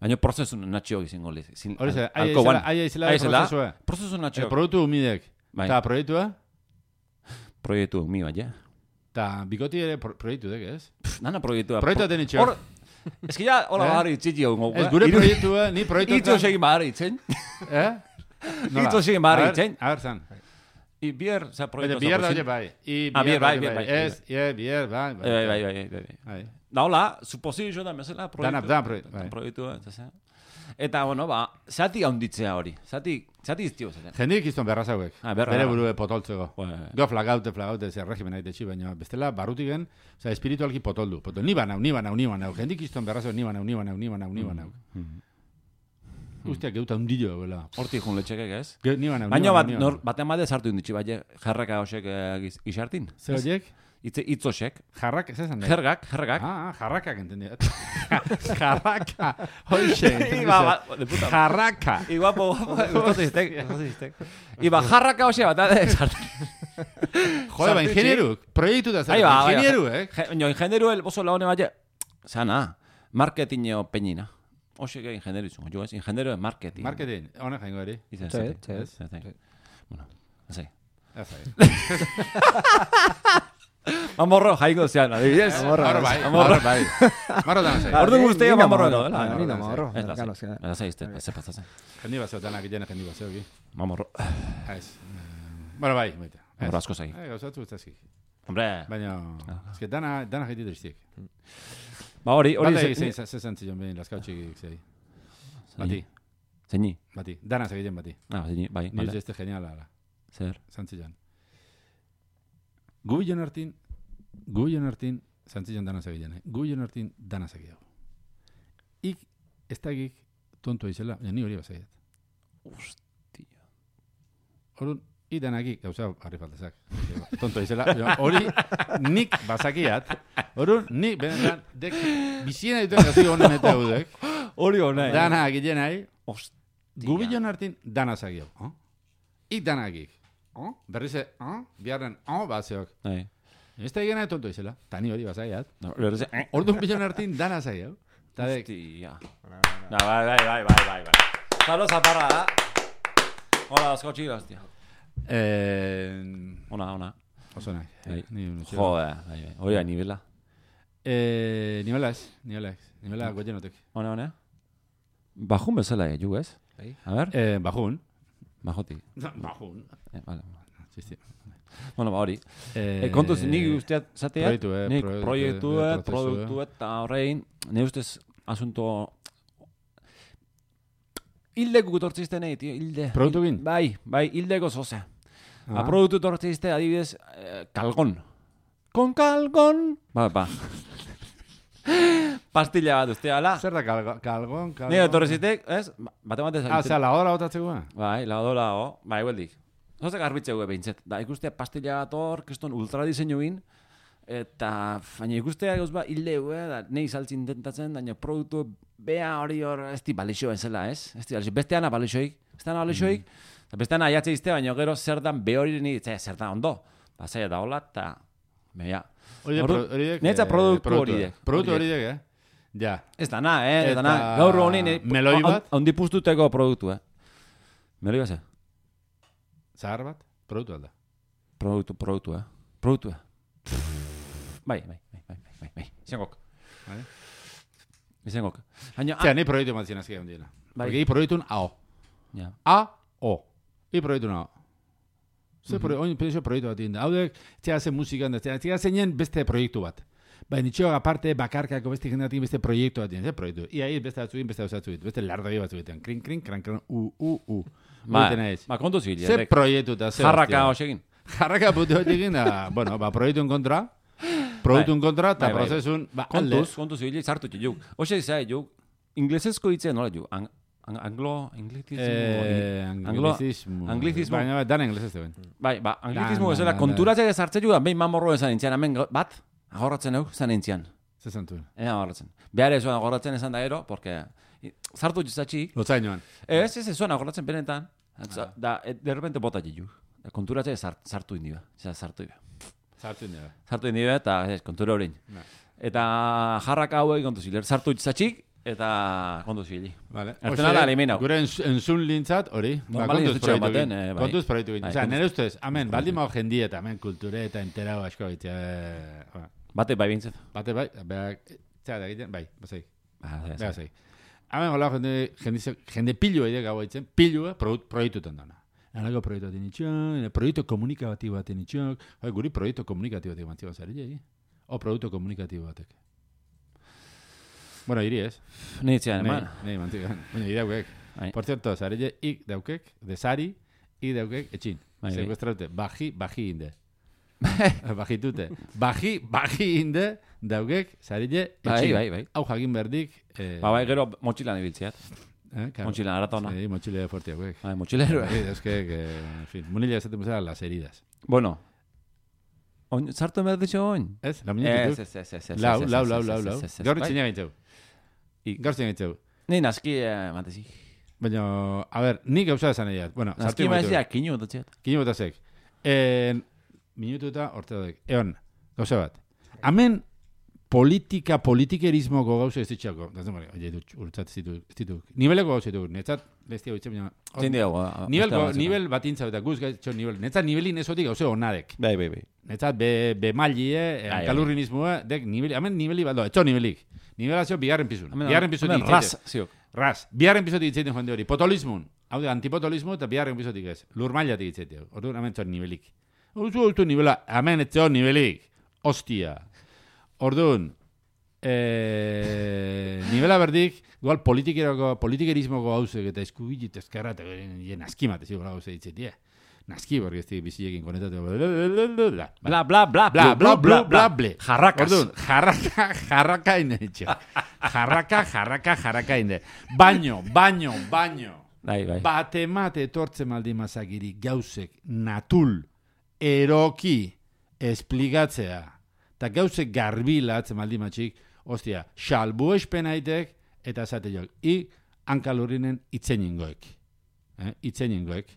Baina prozesu natxio izingo liz. Hori ze, ai aizela, ai aizela prozesua. Prozesu Eh, natxio. Produktu humidek. Bai. Ta proiektua, Proiektu mi bai, ja. ta bikoti ere pro- proiektu dek, ez? Pff, Nana proiektua. Proiektu aten itxok. Hor, ez que ja, hola Eh? bahari txiki hau gogu. Ez gure proiektua, ni proiektu Itzo segin bahari itzen. Eh? Itzo segin bahari A ver, itzen. A ver, zan. I bier, za Baina proiektu. bier da bai. I Ah, bier bai, daude bier bai. Ez, ie, bier, bai. Bai, bai, bai, bai, bai. Bai. Da hola, suposizio da mesela proiektu. Dana, dana proiektu, bai. Proiektua, eta zea. Eta, bueno, ba, zati haunditzea hori. Zati, zati iztio zaten. Jendik izton berra zauek. Ah, berra. Bere burue potoltzeko. Bai, bai. Go flagaute, flagaute, zer regimen aite txi, baina bestela barrutigen, oza, espiritualki potoldu. Potol, ni banau, ni banau, ni banau. Jendik izton berra zauek, ni banau, ni banau, ni banau, ni banau. Mhm. usteak geuta undillo, bela. Hortik jun letxekek, ez? Ge, ni bana, Baina ni bat, bana, ni nor, bana. baten bade sartu inditxi, bai, jarraka hosek isartin. Zer horiek? Itze, itzosek. Jarrak, ez esan da? Jergak, jergak. Ah, jarrakak entendiat. Jarraka. Hoxe, Iba, ba, de puta. Jarraka. Igual, po, gustotu iztek, gustotu iztek. Iba, jarraka hose bat, ade, sartin. Jode, ba, ingenieru. Proiektu da zer. Ahí va, ahí va. Ingenieru, eh? Jo, ingenieru el oso laune bat, sana, marketingo peñina. Hose que ingenieru izungo, jo ez, ingenieru de marketing. Marketing, hona jaingo eri. Izan, Sí, zete. sí. Zete. Bueno, ez sei. Ez ari. Mamorro jaiko zean, adibidez. Marro bai, Amorro. marro bai. Marro da zei. Ordu guztia Ni- ni mamorro namorro. edo, dela. Ah, ni namorro. Ez da, Claro, zei. sí. Ez da, zei, ez da, pasatzen. Jendi bat zeotanak jene jendi bat zeoki. Mamorro. Ez. Bueno, bai, baita. Mamorro asko zei. Eh, gauzatu guztazki. Hombre, Baina, eske dana, dana jaiti driztik. ba hori, hori Bata ze- egin zein, zezen zion behin, laskautxik zei. Bati, Zeini. bati. Dana zegiten bati. Ah, zeini, bai, Ni vale. este geniala, ala. Zer. Zantzilan. Gu bilen hartin, gu bilen hartin, zantzilan dana zegiten, eh? Gu bilen hartin dana zegiago. Ik, ez dagik, tontua izela, baina ni hori bazaiat. Hostia. Orduan, i danakik, gauza, harri faltazak. Tontua izela, baina hori nik bazakiat. Orduan, nik, benetan, dek, biziena dituen gazi honen eta eudek, Hori hona, eh? dana agiten nahi, Hostia. gu bilen hartin dana zegiago. Oh? Ik danakik. Oh? Berrize, oh? Biarren, oh, bazeok. Bai. Ez da egena tontua izela, tani hori bazaiat. No, berriz, eh. Orduan bilen hartin dana zegiago. Ta dek, Hostia. Na, bai, bai, bai, bai, bai, bai. Zalo zaparra, da. Hola, asko txila, hostia. eh, Ona, ona. oso nahi. Bai. Ni unu txela. Joder, bai, bai. Hori da, nivela. Eh, nivela ez, nivela ez. Nivela goienotek. Ona, ona. Bajun bezala, eh, ju, ez? Bai. A ver, Eh, bajun. bajoti. Bajun. Eh, vale. Sí, sí. Bueno, ba, hori. Eh, Eh, kontuz, nik usteat zateat, proiektu, eh, nik proiektu, proiektu, eh, eh, prozesu, produktu eta horrein, ne ustez asunto hildeko gutortzizte nahi, tio, hilde. Produktukin? Bai, bai, hildeko zoze. Ah. Ba, produktu tortzizte, adibidez, eh, kalgon. Kon kalgon. Ba, ba. Pastilla bat uste, ala. Zer da kalgon? Kalgon? kalgon? Nire torrezitek, ez? Ba- Bate batez. Ah, zera, lagodara botatzeko? Bai, lagodola, ho. Bai, hueldik. Zoze garbitzeu behintzet. Da, ikustea pastilla bat hor, keston ultra diseinuin, eta, baina ikustea gauz ba, hildeu, eh? Da, nahi saltzi intentatzen, baina produktu bea hori hor, ez di balixo ezela, ez? Ez di balixo, besteana balixoik, besteana balixoik, eta besteana aiatze izte, baina gero zer dan be hori ni, ze, zer da ondo. Ba, zaila da hola, eta, beha. Hori Ordu- horiek... Netza produktu horiek. Produktu Horiek. horiek, eh? Ja. Ez da na, eh? Ez da na. Eta Gaur honi, ni- meloi bat? Ondi puztuteko produktu, eh? Meloi bat, ze? Zahar bat? Produktu alda. Produktu, produktu, eh? Produktu, eh? Bai, bai, bai, bai, bai, bai, bai. Izengok. Bai. Izengok. Baina, Zera, ni proiektu matzien azkia hundiena. Bai. Porque i proiektun A O. ja. A O. I proiektun A O. Ze proiektu, oin pensio proiektu bat inda. Haudek, txea zen musikan, txea zeinen beste proiektu bat. Baina nitxoak aparte, bakarkako beste jendatik beste proiektu bat. Ze proiektu. Ia hil beste batzuin, beste batzuin. Beste lardagi batzuin. Krin, krin, kran, kran, u, u, u. Ba, Ba, ba, kontu zibili. ze proiektu eta ze Jarraka hostia. hoxekin. Jarraka putu bat egin da, bueno, ba, proiektun kontra, produktun kontra, eta Bai, bai. prozesun, ba, alde. Kontuz, kontuz zibili, sartu txu. Hoxe izai, ju, inglesezko hitzea nola ju? Ang, ang, anglo, anglizismo? Eh, anglo, anglizismo. anglizismo. Baina, ba, dan inglesez zegoen. bai, ba, anglizismo Da, da, bezala, da, konturatzea sartze ju, behin mamorro esan intzian, hemen gau- bat, agorratzen hau, zan intzian. Ze zantuen. Ea agorratzen. Behar ez zuen agorratzen esan da ero, porque i- sartu txizatxik, Lotzainoan. ez, ez, ez zuen agorratzen benetan, da, da, et, de repente bota jiu. Konturatzea sart, sartu indi ba, sartu indi ba. Zartu indera. Sartu indi ba, eta ez, kontura horrein. Ba. Eta jarraka hauek kontu ziler, sartu txizatxik, eta kontu zibili. Vale. Ertzen ala eliminau. Gure ens- entzun lintzat, hori. Ba, Normali kontuz ez dutxoen proiektu baten, egin. eh, bai. Kontuz proiektu egin. Bai, Osea, kontuz- nire ustez, amen, baldin mao jendie eta amen kulture eta enterau asko egitea. ba, Bate bai bintzet. Bate bai, beak, txea da egiten, bai, bazai. Ba, ez, Beha zai. Amen, hola, jende, jende, jende pilu egite gau egiten, pilua proiektutan dana. Anako proiektu bat initxok, proiektu komunikatibo bat initxok, hoi, guri proiektu komunikatibo bat initxok, zari jai? O proiektu komunikatibo batek. Bueno, iri ez. Nitzean, Nei, eman. nei, mantik. Bueno, iri daukek. Bai. Por cierto, zari jai, ik daukek, de sari, ik daukek, etxin. Bai, bai. Sekuestraute, baji, baji inde. Bajitute. Baji, baji inde, daukek, zari jai, Bai, etxin. bai, bai. Hau jagin berdik, eh, Ba, bai, gero motxilan ibiltzeat. Eh, claro. Mochila aratona. Sí, mochila fuerte, güey. Bai, mochilero. Sí, es que, que, en fin, munila esaten bezala las heridas. Bueno. Oin, sartu behar ditxo oin? Ez, la Ez, muñekituk? ez, ez, ez, ez. Lau, ez, lau, ez, lau, ez, lau, ez, lau. ez, ez, Gaur bai. txina gaitxeu. I- Gaur txina gaitxeu. Ni naski, eh, matezi. Baina, a ver, nik gauza esan egiat. Bueno, Naski maizia, kinu dutxet. Kino botazek. En, minutu eta orte dut. Eon, gauza bat. Hemen politika, politikerismoko gauza ez ditxako. Gazen bari, oie, dut, urtzat ez ditu, ez ditu. Nibeleko gauza ditu, netzat, bestia bitxe, baina... Zein diago. Nivelko, nivel bat intza eta guz gaitxo nivel. Netzat nivelin ezotik gauze onadek. Bai, bai, bai. Netzat be, be malie, Ai, kalurrinismoa, dek niveli, hemen niveli bat doa, etxo nivelik. Nivelazio bigarren pizun. Bigarren pizutik Hemen ras, ziok. Ras. Bigarren pizutik itzaiten joan de hori. Potolismun. Hau de, antipotolismo eta bigarren pizutik ez. Lurmailatik itzaiten. Orduan hemen txon nivelik. Ozu, ozu nivela, hemen etxo nivelik. Ostia. Orduan, eh, nivela berdik, igual politikerako, politikerismoko gauzek eta eskubilit ezkerra eta jen askimat, ez igual gauze ditzetie. Naski, porque este bizilekin konetatu. Bla, Bla, bla, bla, bla, bla, bla, bla, bla. Jarrakas. Orduan, jarraka, jarraka inde, etxo. Jarraka, jarraka, jarraka inde. Baino, baino, baino. Bai, bai. Batemate etortzen maldi mazagiri gauzek natul, eroki, esplikatzea. Eta gauzek garbilatzen maldi matxik, ostia, salbu espenaitek, eta esate jok. I, hankalurinen itzeningoek. Eh? Itzeningoek.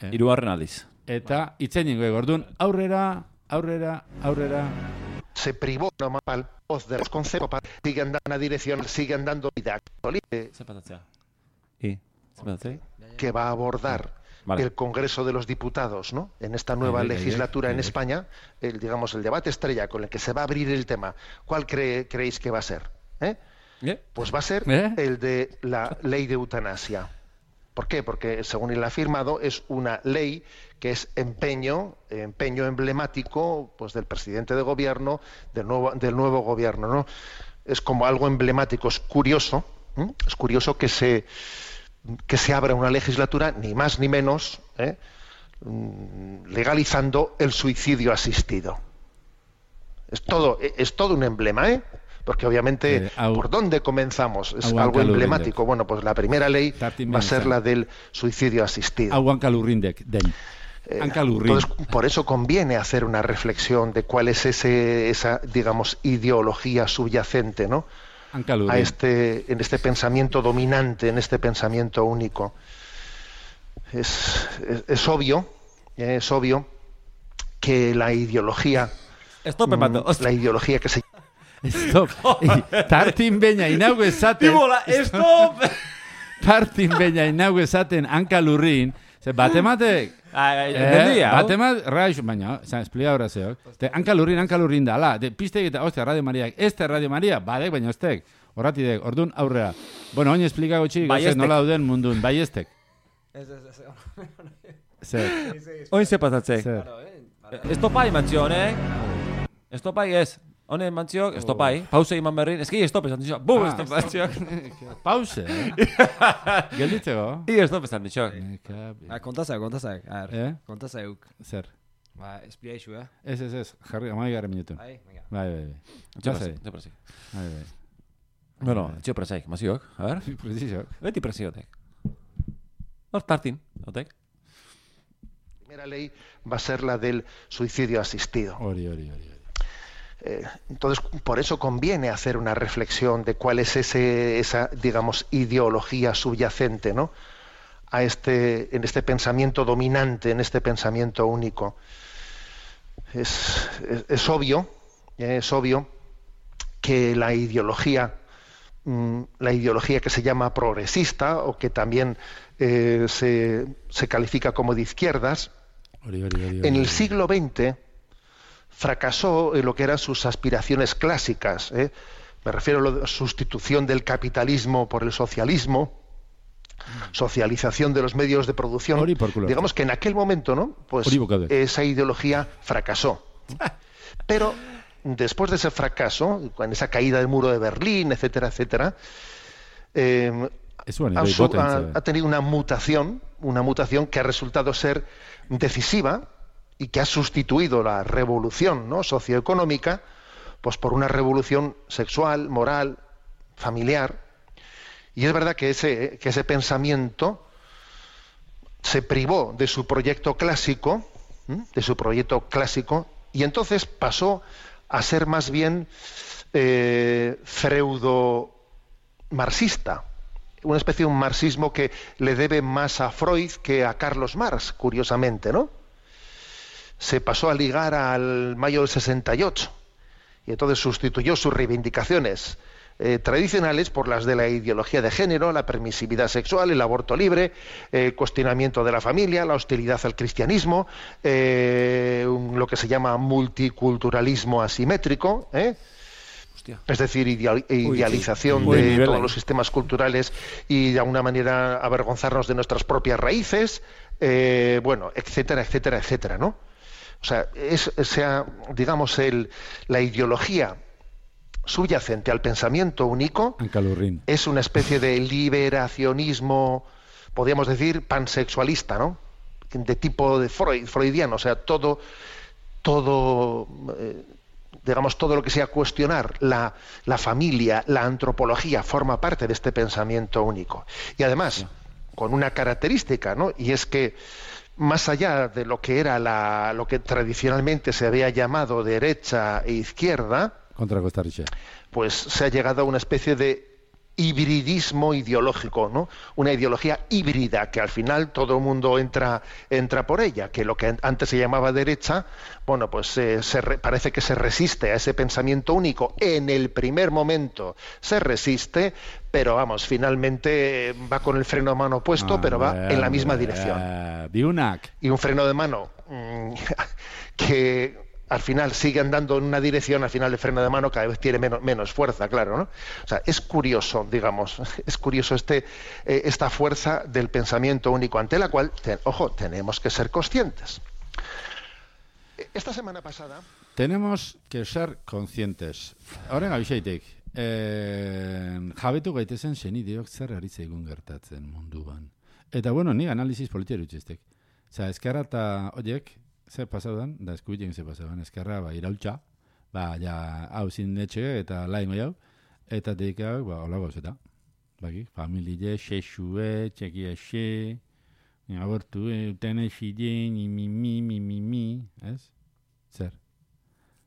Eh? Hirugarren aldiz. Eta itzeningoek. Orduan, aurrera, aurrera, aurrera. Se privó nomás al voz de los conceptos, siguen dando una dirección, siguen dando vida Zer patatzea? I, zer patatzea? que va a abordar Vale. el Congreso de los Diputados, ¿no? En esta nueva Ay, ay, ay, legislatura ay, en ay. España, el, digamos, el debate estrella con el que se va a abrir el tema. ¿Cuál cree, creéis que va a ser? ¿Eh? ¿Eh? Pues va a ser ¿Eh? el de la ley de eutanasia. ¿Por qué? Porque según él ha afirmado es una ley que es empeño, empeño emblemático, pues del presidente de gobierno, del nuevo, del nuevo gobierno, ¿no? Es como algo emblemático, es curioso, ¿eh? Es curioso que se que se abra una legislatura ni más ni menos, ¿eh? legalizando el suicidio asistido. Es todo, es todo un emblema, ¿eh? Porque obviamente, Eh, au- ¿por dónde comenzamos? Es Aguanta algo lo emblemático. Bueno, pues la primera ley Tartin va a ser Benza. la del suicidio asistido. Hau hankalurrindek, den. Eh, Hankalurrin. Entonces, por eso conviene hacer una reflexión de cuál es ese, esa, digamos, ideología subyacente, ¿no? Hankalurrin. A este, en este pensamiento dominante, en este pensamiento único. Es, es, es obvio, eh, es obvio que la ideología, Stop, mm, emato. la ideología que se Stop. Tartin beina inaugu esaten. Ibola, stop! Tartin beina inaugu esaten hankalurrin. Ze batematek. Ai, Eh, entendia, hau? batemat, raixo, baina, zan, esplika horra zeok. Te, hankalurrin, hankalurrin da, ala, de, pistek eta, ostia, Radio Mariak, este Radio Maria, badek, baina estek, horratidek, orduan aurrera. Bueno, oin esplika gotxik, Baiestek. nola dauden mundun, baiestek. Ez, ez, ez. Zer, Oin ze patatzei. zer. Estopai mantzion, eh? Estopai ez. Honen mantziok, estopai. Pause iman berrin. Eski estop esan ditxok. Bum, Ah, estop mantziok. Pause, eh? Gelditzeko? I estop esan ditxok. Ah, kontazaik, kontazaik. A ver, Eh? kontazaik. Zer. Ba, esplia isu, eh? Ez, ez, ez, jarri, amai gara minutu. Bai, venga. Bai, bai, bai. Lasai. Txoprazik. Bai, bai. Bueno, txoprazik, maziok. A ver. Preciso. Beti presiotek. Hor tartin, otek. la primera ley va a ser la del suicidio asistido. Hori, hori, hori. Eh, entonces, por eso conviene hacer una reflexión de cuál es ese, esa, digamos, ideología subyacente, ¿no? A este, en este pensamiento dominante, en este pensamiento único. Es, es, es obvio, eh, es obvio que la ideología, mm, la ideología que se llama progresista o que también eh, se, se califica como de izquierdas, Hori, hori, hori, hori. en el siglo veinte fracasó en lo que eran sus aspiraciones clásicas. ¿eh? Me refiero a la sustitución del capitalismo por el socialismo, socialización de los medios de producción. Hori por culo. Digamos que en aquel momento, ¿no? Pues Hori bokadek. esa ideología fracasó. Pero después de ese fracaso, con esa caída del muro de Berlín, etcétera, etcétera, eh, Ez zuen, ha, bai, su- boten, ha- ze. ha tenido una mutación, una mutación que ha resultado ser decisiva y que ha sustituido la revolución, ¿no? socioeconómica, pues por una revolución sexual, moral, familiar, Y es verdad que ese, que ese pensamiento se privó de su proyecto clásico, ¿m? de su proyecto clásico, y entonces pasó a ser más bien eh, freudo-marxista, una especie de un marxismo que le debe más a Freud que a Carlos Marx, curiosamente, ¿no? Se pasó a ligar al mayo del sesenta y ocho, y entonces sustituyó sus reivindicaciones Eh, tradicionales por las de la ideología de género, la permisividad sexual, el aborto libre, el eh, cuestionamiento de la familia, la hostilidad al cristianismo, eh, un, lo que se llama multiculturalismo asimétrico, ¿eh? es decir, ideal, idealización Uy, sí. de Uy, todos ahí. los sistemas culturales y de alguna manera avergonzarnos de nuestras propias raíces, eh, bueno, etcétera, etcétera, etcétera, ¿no? O sea, es, sea digamos, el, la ideología subyacente al pensamiento único Ancalurrín. es una especie de liberacionismo, podríamos decir, pansexualista, ¿no? De tipo de Freud, freudiano, o sea, todo, todo, eh, digamos, todo lo que sea cuestionar la, la familia, la antropología, forma parte de este pensamiento único. Y además, con una característica, ¿no? Y es que más allá de lo que era la, lo que tradicionalmente se había llamado derecha e izquierda, Contra Costa Rica. pues se ha llegado a una especie de hibridismo ideológico, ¿no? Una ideología híbrida que al final todo el mundo entra entra por ella, que lo que antes se llamaba derecha, bueno, pues eh, se re, parece que se resiste a ese pensamiento único. En el primer momento se resiste, pero vamos, finalmente va con el freno de mano puesto, Ah, pero va hombre, en la misma hombre, dirección. eh, Biunak. Y un freno de mano mmm, que al final sigue andando en una dirección, al final el freno de mano cada vez tiene menos, menos fuerza, claro, ¿no? O sea, es curioso, digamos, es curioso este, eh, esta fuerza del pensamiento único, ante la cual, te, ojo, tenemos que ser conscientes. Esta semana pasada... Tenemos que ser conscientes. Horren abixeitek, eh, jabetu gaitezen senideok zer ari zaigun gertatzen munduan. Eta, bueno, ni analizis politiari utxestek. Osa, eskerra eta horiek, zer pasaudan, da eskubilen zer pasaudan, eskerra, ba, irautxa, ba, ja, hau zinetxe eta laimo jau, eta dedikau, ba, hola gauzeta. Baki, familie, xexue, txekia xe, abortu, utene xile, mi, mi, mi, mi, mi, mi, ez? Zer?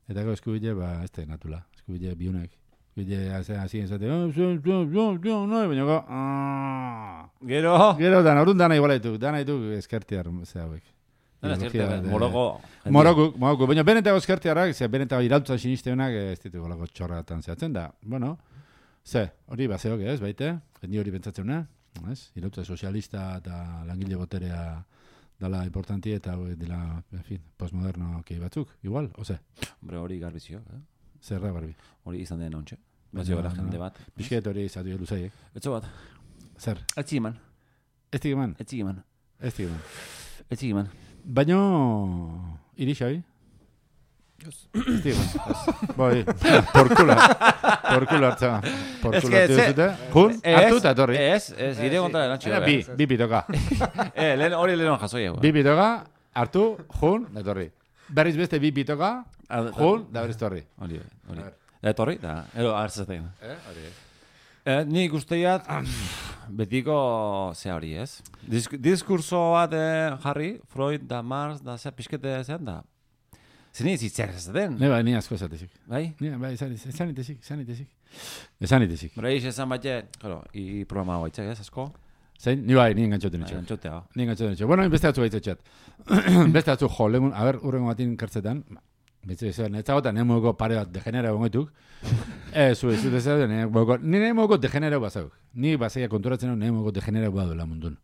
Eta gau eskubile, ba, ez da natula, eskubile biunak. Eskubile, azien zate, oh, zon, zon, zon, zon, no, baina go, aaaaa. Gero. Gero, dan, orduan dana igualetu, dana ditu eskertiar, ze hauek. Dana Ideologia eskertiar, de- moroko. Morokuk, morokuk, baina benetago eskertiarrak, ze benetago irautzan sinisteunak, ez ditu golako txorratan zehatzen da. Bueno, ze, hori bazeok ez, baite, jendi hori pentsatzena, ez? Irautza sozialista eta langile boterea dala importanti eta hauek dela, en fin, postmoderno kei batzuk, igual, oze, Hombre, hori garbizio, eh? zerra barbi. Hori izan den ontxe. Bazio gara jende bat. Pisket hori izatu jo luzaiek. Etxo bat. Zer, Etzi eman. ez dik eman, Etzi eman. ez dik eman. Etzi eman. Baino, iri xabi? Ez dik eman. Boi, porkula, porkula hartza. Porkula Ez que, hartu ze- duzute. Jun, hartu eta etorri. Ez, ez, ire kontra erantxio. Era bi, bi pitoka. Eh, lehen hori lehen jasoi hau. Bi pitoka, hartu, jun, da etorri. Berriz beste bi pitoka, Ah, jun, da berriz torri. Hori, hori. Da etorri, da, ero hartzaten. Eh, hori. Eh, nik usteiat, betiko ze hori, ez? Disk diskurso bat eh, jarri, Freud da Marx da zer pixkete zen da. Zini ez zer ez den, Ne bai, ni asko esatezik. bai? Ni bai, esan esan itezik, esan itezik. Esan itezik. Bera ix esan batxe, claro, i programa hau aitzak ez, asko? Zein, ni bai, ni engantzatu Bai, nitxo. Antxotea. Ni engantzatu nitxo. Bueno, beste atzu baitzatxat. Beste atzu, jo, legun, a ber, urrengo batin kartzetan, betze izan, ez zagotan, nire moduko pare bat degenera gongoituk. Ez, zu, ez dut ez dut, nire moduko, nire moduko degenera bazauk. Ni bazaia konturatzen hau, nire moduko degenera baduela mundun.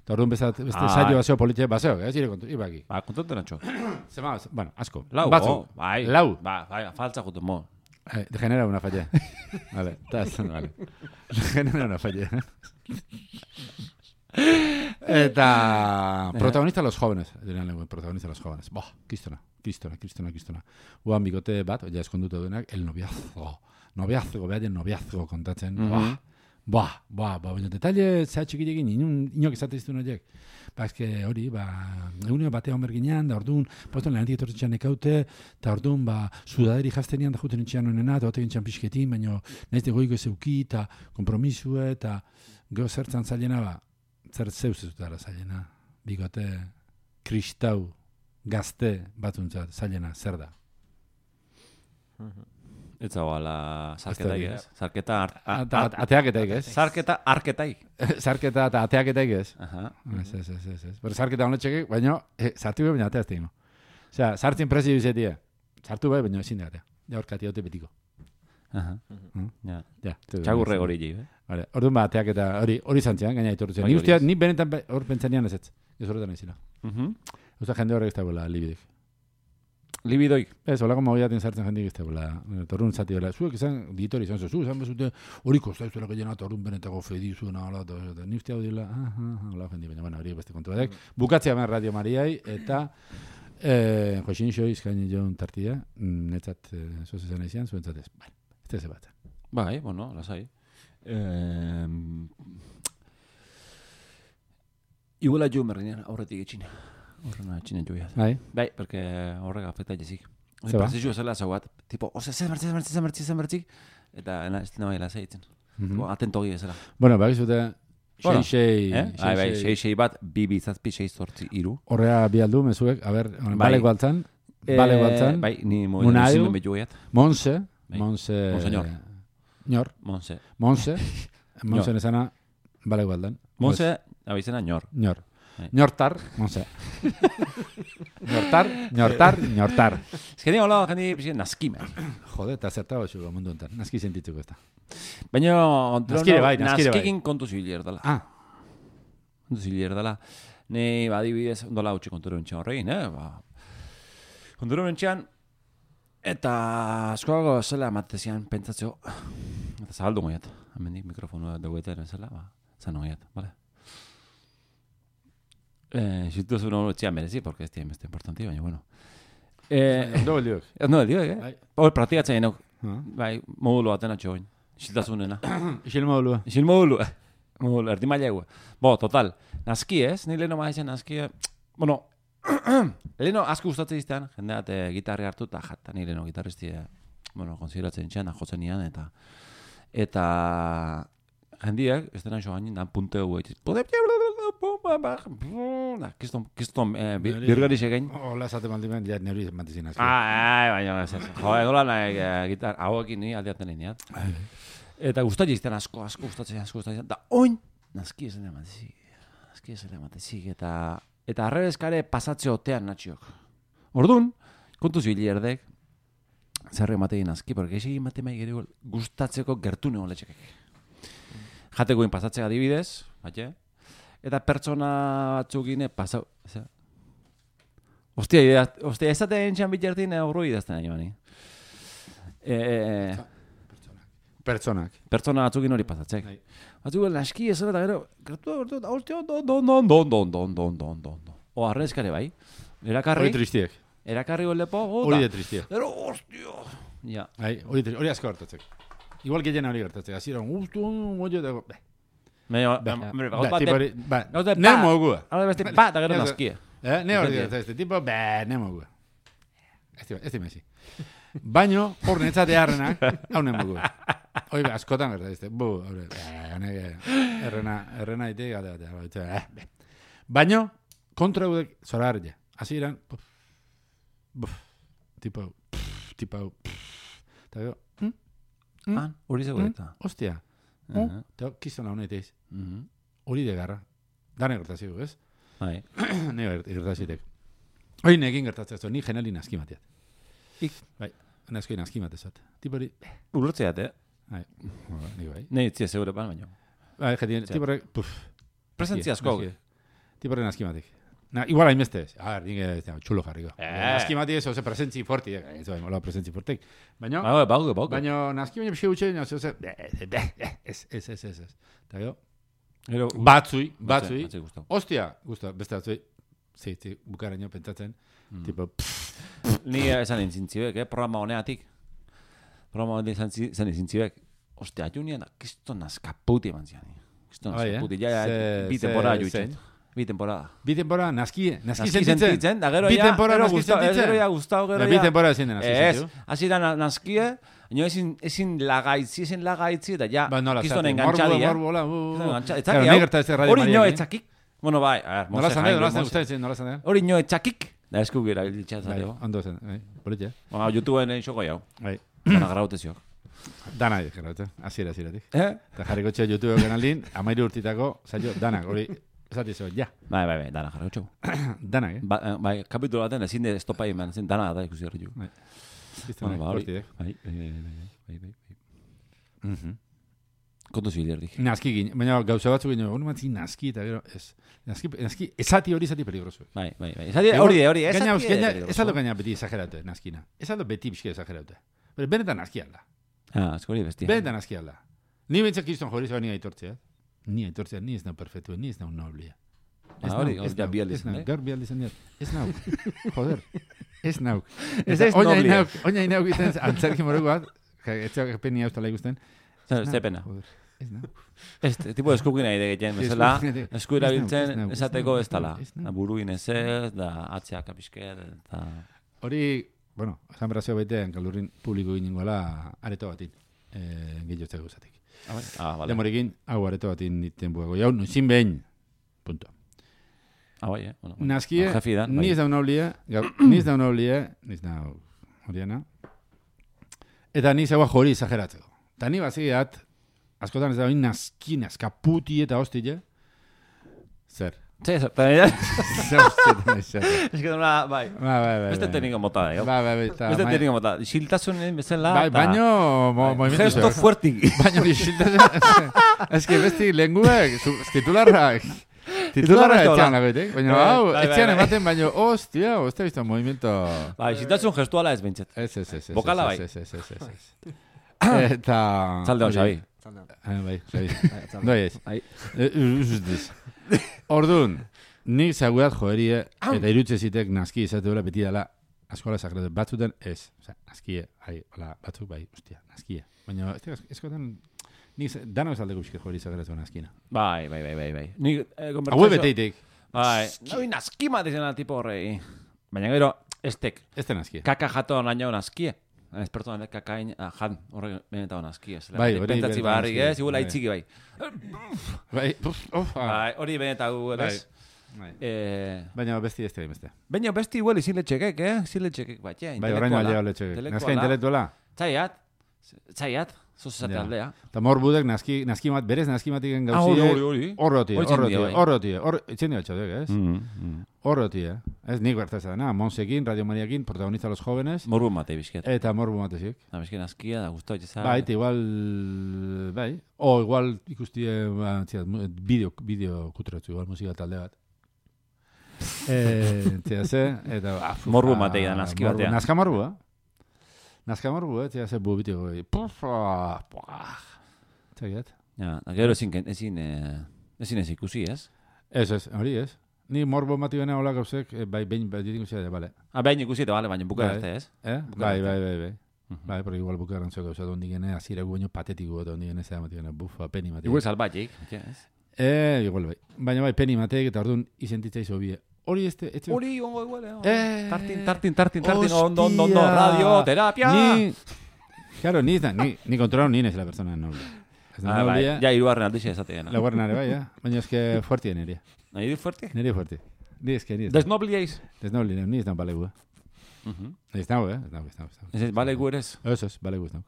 Eta orduan beste, beste Ah. saio bazeo politia bazauk, ez ire kontu, ibaki. Ba, kontatu nantxo. Zema, bueno, asko. Lau, Batzu. oh, bai. Lau. Ba, bai, faltza jutu, mo. Eh, degenera una falla. Vale, estás, vale. Degenera una falla. Eta protagonista los jóvenes, dirían lengua, protagonista los jóvenes. Boh, kristona, kristona, kristona, kristona. Uan bigote bat, ja eskonduta duenak, el noviazgo. Noviazgo, behaien noviazgo kontatzen. Mhm. Boh, Ba, ba, ba, baina detalle zehatxikirekin inun, inok izate iztun horiek. Ba, eske hori, ba, eguneo batean berginean, da orduan, poston lehenetik etortzen ekaute, eta orduan, ba, sudaderi jaztenian da juten itxean honena, eta batekin txan pixketin, baina nahiz goiko zeuki, eta kompromisue, eta geho zertzan zailena, ba, zer zeuz ez dutara zailena, bigote, kristau, gazte batzuntzat, zailena, zer da? Ez zagoala zarketaik ez. Zarketa ateaketaik ez. Zarketa arketaik. Zarketa eta ateaketaik ez. Aha. Ez, ez, ez, ez, ez. Pero zarketa honetxekik, baina zartu bai, baina ateazte ino. Osea, zartzen presi bizetia. Zartu bai, baina ezin da atea. Ja horkati haute betiko. Aha. Ja. Ja. Txagurre gori ji, eh? Vale, orduan ba, ateaketa hori hori zantzean, gaina itortzen. Ni ustea, ni benetan hor pentsanian ez ez. Ez horretan ezila. Mhm. Osa jende horrek ez dagoela libidik. Libidoik. Ez, holako mogiaten sartzen jendik ez dagoela. Torrun zati dela. Zuek izan, ditori izan zu, izan bezute, hori kostaizuela gehiena, torrun benetako fedi zuen, ala, eta ni ustea dila, ah, ah, hola, jendi, baina, bueno, hori beste kontu batek. Bukatzea ben Radio Mariai, eta eh, Joxin Xo izkaini joan tartia, netzat, zoz izan izan, zuen zatez. Bai, ez ez bat. Bai, bueno, lasai. Eh, Iguala jo merrinean aurretik etxina. Horrena etxina joia. Bai. Bai, porque horrega afecta jezik. Ze ba? Zizio zela zauat, tipo, ose, zemertzi, zemertzi, zemertzi, zemertzi, eta ena, ez dina baila zeitzen. Atentogi ezela. Bueno, bai, zute, Bueno, sei, eh? sei, Ai, bai, sei. sei, sei bat, bi, bi, zazpi, sei, zortzi, iru. Horrea bi aldu, mezuek, a ber, Bai. baleko altzan, baleko altzan, Bai, ni Munaio. moidan izin bejuiat. Monse, Bai. Monse... Monseñor. Ñor, Monse. Monse, Monse nesana, baleko aldan. Monse, abizena, ñor. Ñor. Bai. Ñortar, Monse. Ñortar, ñortar, ñortar. Ez que ni hola, jendi, pixi, naskime. Jode, eta zertago xugo mundu enten. Naski sentitzuko ez da. Baina, Naskire bai, naskire bai. naskikin kontu zibiler dela. Ah, Kontu zibiler dela. Ni, ba, adibidez, ondola utxe konturo entxan horrein, eh? Ba, konturo entxan, eta askoago zela amatezian pentsatzeo, eta zabaldu goiat, hemendik mikrofonua dagoetan zela, ba, zan goiat, bale? Eh, situación no lo merezi, porque este es importante, baina, bueno. Eh, ondo beldiok. no, el digo, eh? Bai. Hor, praktikatzen nauk. Ah. Bai, modulo baten atxo bain. Isiltasunena. Isil modulua. Isil modulo. Modulo, erdi mailegu. Bo, total. Naski ez, ni leheno maizien naski... Bueno, leheno asko gustatzen iztean, jende bat eh, gitarri hartu eta jata, ni leheno gitarristi, eh, bueno, konsideratzen txean, jotzen nian, eta... Eta... Jendiak, ez dena joan dan punteo guetxiz. Kiston, kiston, birgari segein. Hola, esate maldimen, ja neuri mantizin azki. Ah, baina, ez ez. Jo, egola nahi gitar, hauekin ni aldeaten lineat. Eta gustatzen izten asko, asko gustatzen, asko gustatzen. Da, oin, naski ez dena matizik. Naski ez dena matizik. Eta, eta arrebezkare pasatze otean natxiok. Orduan, kontu zibilerdek, zerre matein aski, porque esegin matemai gero gustatzeko gertune holetxekek. Jatekoin pasatzea adibidez, batxe? Eta pertsona batzukine pasau... Ostia, ostia, ez zaten entxan bitxertin horro idazten ari bani. E, Pertsonak. pertsona batzukin hori pasatzek. Batzuk, naski ez eta gero, gertu da, gertu da, ostia, don, don, don, don, don, don, don, don, don. O, arrezkare bai. Erakarri, Hori tristiek. erakarri golepo, Hori de tristiek. Gero, ostia. Ja. Ai, hori, tri- hori asko gertatzek. Igual gehien hori gertatzek. Azira, guztu, moio, dago... Baina, Ba, hombre, ba, gauz tipo bat, hori, ba, gauz bat, ne ba. mogua. Ahora beste, ba, da gero Ez- naskie. Eh, ne hori Entiende. gertatzek, tipo, ba, ne mogua. Ez di, ez di mezi. Baino, hor netzate harrenak, hau ne mogua. Hoi, ba, askotan gertatzek, bu, hori, honeke, errena, errena ite, gata, gata, gata, eh, be. Baino, kontra gudek, zora harria. Asi iran, buf, buf, tipo, pff, tipo, pff, eta gero, hm? Mm. Ah, hori zego eta. Ostia, Aha. eta kizona honeteiz, Mhm. hori de garra. Dane gertaziko, ez? Bai. Ne gertazitek. Hoi nekin gertatzen zu, ni geneli naski mateat. Ik. Bai, naski naski matezat. Tipori, Urrutzeat, eh? bai, ni bai. Nei, tzia, segure pan, baina. Bai, jetien, tipori, puf. Presentzia asko. Tipori naski matek. Na, igual hainbeste ez. A ver, nik txulo jarriko. Eh. Naski mati ez, oze, presentzi forti. eh, Ez bai, mola presentzi fortek. Baina, Ba, bauke, bauke. baina naski baina pixi gutxe, oze, oze, ez, ez, ez, ez, ez. Eta gero, Gero, batzui, batzui, batzui gustau. ostia, gusta, beste batzui, zi, zi, bukaraino pentsatzen, tipo, pff, Ni esan intzintzibek, eh? Programa honeatik. Programa honeatik izan zi- izan intzintzibek. Ostia, Junian, kiston naskaputi eman zian. Kiston Bai, eh? naskaputi, ja, ja, Ze- bi ze- temporada zein? juitzen. Bi temporada. Bi temporada naski, naski Naski sentitzen. sentitzen, da gero Bi ja, temporada gero naski gustau, ez sentitzen. gero ja gustau, gero Da, ja. bi temporada ezin da naski Ez, sentiu. hasi da na- naskie, ino ezin, ezin lagaitzi, ezin lagaitzi, eta ja, Ba, nola kiston zati, engantzadi, morbo, eh? morbo, hola, uh, Kiston uh. engantzadi, Claro, etzaki nahi hau. gerta ez radio Hori ino Mariarekin. etzakik. Bueno, bai, a ver, Nola Mose zan Jaime, nola zan Mose. ustedes, nola zan Hori ino etzakik, da esku gira Bai, ilitxatzateo. ondo zen, bai, politxe. Ba, YouTubeen egin xoko jau. Bai. Dana graute ziok. Dana dik, geratu, hasiera hasieratik. Eh? Eta jarriko txea YouTube kanalin, amairu urtitako, saio, danak, hori, esati zo, ja, Bai, bai, bai, dana jarriko txau. danak, eh? Ba, eh, bai, kapitulo baten ezin de estopa eman, ezin dana da ikusi horri ju. Bizte Bueno, honek, ba, hori. kortidek. Bai, bai, bai, bai, bai, bai, bai. Mhm. Kontu zibilerdik. Naski gine, baina gauza batzuk gine, hori matzi naski, eta gero, ez. Naski, naski, esati hori esati peligroso. Bai, bai, bai. Esati, hori de, hori, Gaina, esati gaina, de. ez aldo gaina beti exageratu, naskina. Ez aldo beti bizki exageratu. Pero benetan naski alda. Ah, eskori bestia. Benetan naski alda. Ni bentsak kiston jori zoa ni aitortzea. Ni aitortzea, ni ez nau perfectu, ni ez nau noblia. Ez Ah, hori, nau, hori ez ja nau, bi aldiz, ez nau, eh? gaur bi aldiz handiat. Ez nau, joder, ez nau. Ez Eta ez oina noblia. inauk, oina inauk iten, antzerki moruko bat, etxeak peni hauztala ikusten. Zer, ze pena. Joder, ez nau. Ez, tipo eskukin nahi degeten, Ez, bezala, eskukin nahi- esku ez nau, ez erabiltzen nau, ez esateko nau, ez dala. ez nau. Da buruin ez ez, da atzeak apisket, eta... Hori, bueno, esan berazio baitean, kalurrin publiko ginengoela areto batin, eh, gehiotzeko usatik. Ah, bai. Ah, vale. Demorekin, hau areto batin niten buego. Jau, nuzin behin, punto. Ah, bai, eh? Bueno, Naskie, jefi da, ni bai. ez daun oblie, ni ez daun oblie, ni ez daun horiena. Eta ni zegoa jori exageratzeko. Eta ni baziat, askotan ez dagoen naski, naskaputi eta hostile. Zer? Sí, eso, pero ya... Zer hostile, zer. Es que una, bai. Ba, bai, bai. Beste bai. tekniko mota da, jo. Ba, bai, bai. eta Beste mai- tekniko mota. Xiltasunen bezala, Bai, baino, mo, Bai, movimiento gesto zeo. fuertik. Baina isiltasun... Ez que besti lenguek, su- titularrak... Titularra Titularra ez etxean da lagoetek. Baina, Bai, hau, bai, bai, etxean bai. ematen, baina, hostia, hostia, visto movimiento... Bai, xiltasun gestuala ez bentzet. Ez, ez, ez. ez, Bokala ez, bai. Ez, ez, ez, ez, ez. Eta... Zalde hon, Xabi. Ah, bai, Xabi. Doi ez. Bai. Usustiz. Orduan, nik zaguat joerie, eta irutze zitek naski izate duela beti dela askola sagratu. Batzuten ez. Osa, naskie, hai, hola, batzuk bai, ostia, naskie. Baina, ez eskotan, nik z- dano ez aldeko bizke joeri sagratu naskina. Bai, bai, bai, bai, bai. Ni, eh, Hau konbertsazio... beteitek, Bai, nahi naskima dizena tipo horrei. Baina gero, estek, ez da naskie. kaka jato naino naskie. Ez pertsonak kakain ah, jan horre benetan naskie. Bai, hori Pentsatzi benetan barri, naskie, ez? Igual bai. aitziki bai. Bai, uf, uf, ah. Bai, hori benetan gu, Bai. ez? Bai. Eh, Baina besti ez da beste. Baina besti igual iziletxekek, eh? Iziletxekek, bat, ja, Bai, orain aldea letxek. Naska intelektuala. Zaiat, zaiat, zozate Ja. aldea. Eta morbudek naski, naski mat, berez naski matiken Ah, hori, gauzie. hori, hori. Horrotie, Hori txindia, horrotie, bai. horrotie. Hor, itzen dira txodek, ez? Mm, mm. Horrotie. Ez nik bertaz da, na, Monsekin, Radio Mariakin, protagonista los jóvenes, Morbu mate bizket. eta morbu matezik. Da, bizket askia, da gustau etxeza. Bai, eta igual, bai, o igual ikustie, ba, txia, mu- bideo, bideo kutratu, igual musika talde bat. Eh, txia ze, eta, ba, fufa, Morbu matei da, naski morbu- batean. Naska morbu, eh? Naska morbu, eh, txia ze bubitiko, eh, pufa, puah, txagiat. Ja, da gero ezin, ken- ezin, eh, ezin ez ikusi, ez? Ez, ez, hori ez. Ni morbo mati bena hola gauzek, eh, bai, behin, bai, ditik usia, bale. Ah, behin ikusi eta bale, baina buka Bai. arte, ez? Eh? Buka Bai, arte. bai, bai, bai. Mhm. Bai, porque igual bukaran zeko gauza dondi gene, azira guaino patetiko eta dondi gene zera mati gene, bufa, peni mati. Igual salbatik, ez? Eh, igual bai. Baina bai, peni matek eta orduan izentitza izo bie. Hori este, etxe... Hori, ongo igual, eh? Eh, Tartin, tartin, tartin, tartin, hostia. ondo, ondo, ondo, radio, terapia! Ni... Claro, ni, da, ni, ni kontrolado ni nez la persona noble. Ez da Ah, bai, noble, ja, irugarren aldixe esatean. la guarnare bai, ja. Baina eske fuertien eria. Nahi du fuerte? Neri fuerte. Ni eske, ni ez. Desnoblieiz. Ez noble, ni ez da balegu, eh. Ez nau, eh. Ez nau, ez nau, ez nau. Ez ez, bale gu eres. Ez ez, balegu ez nau.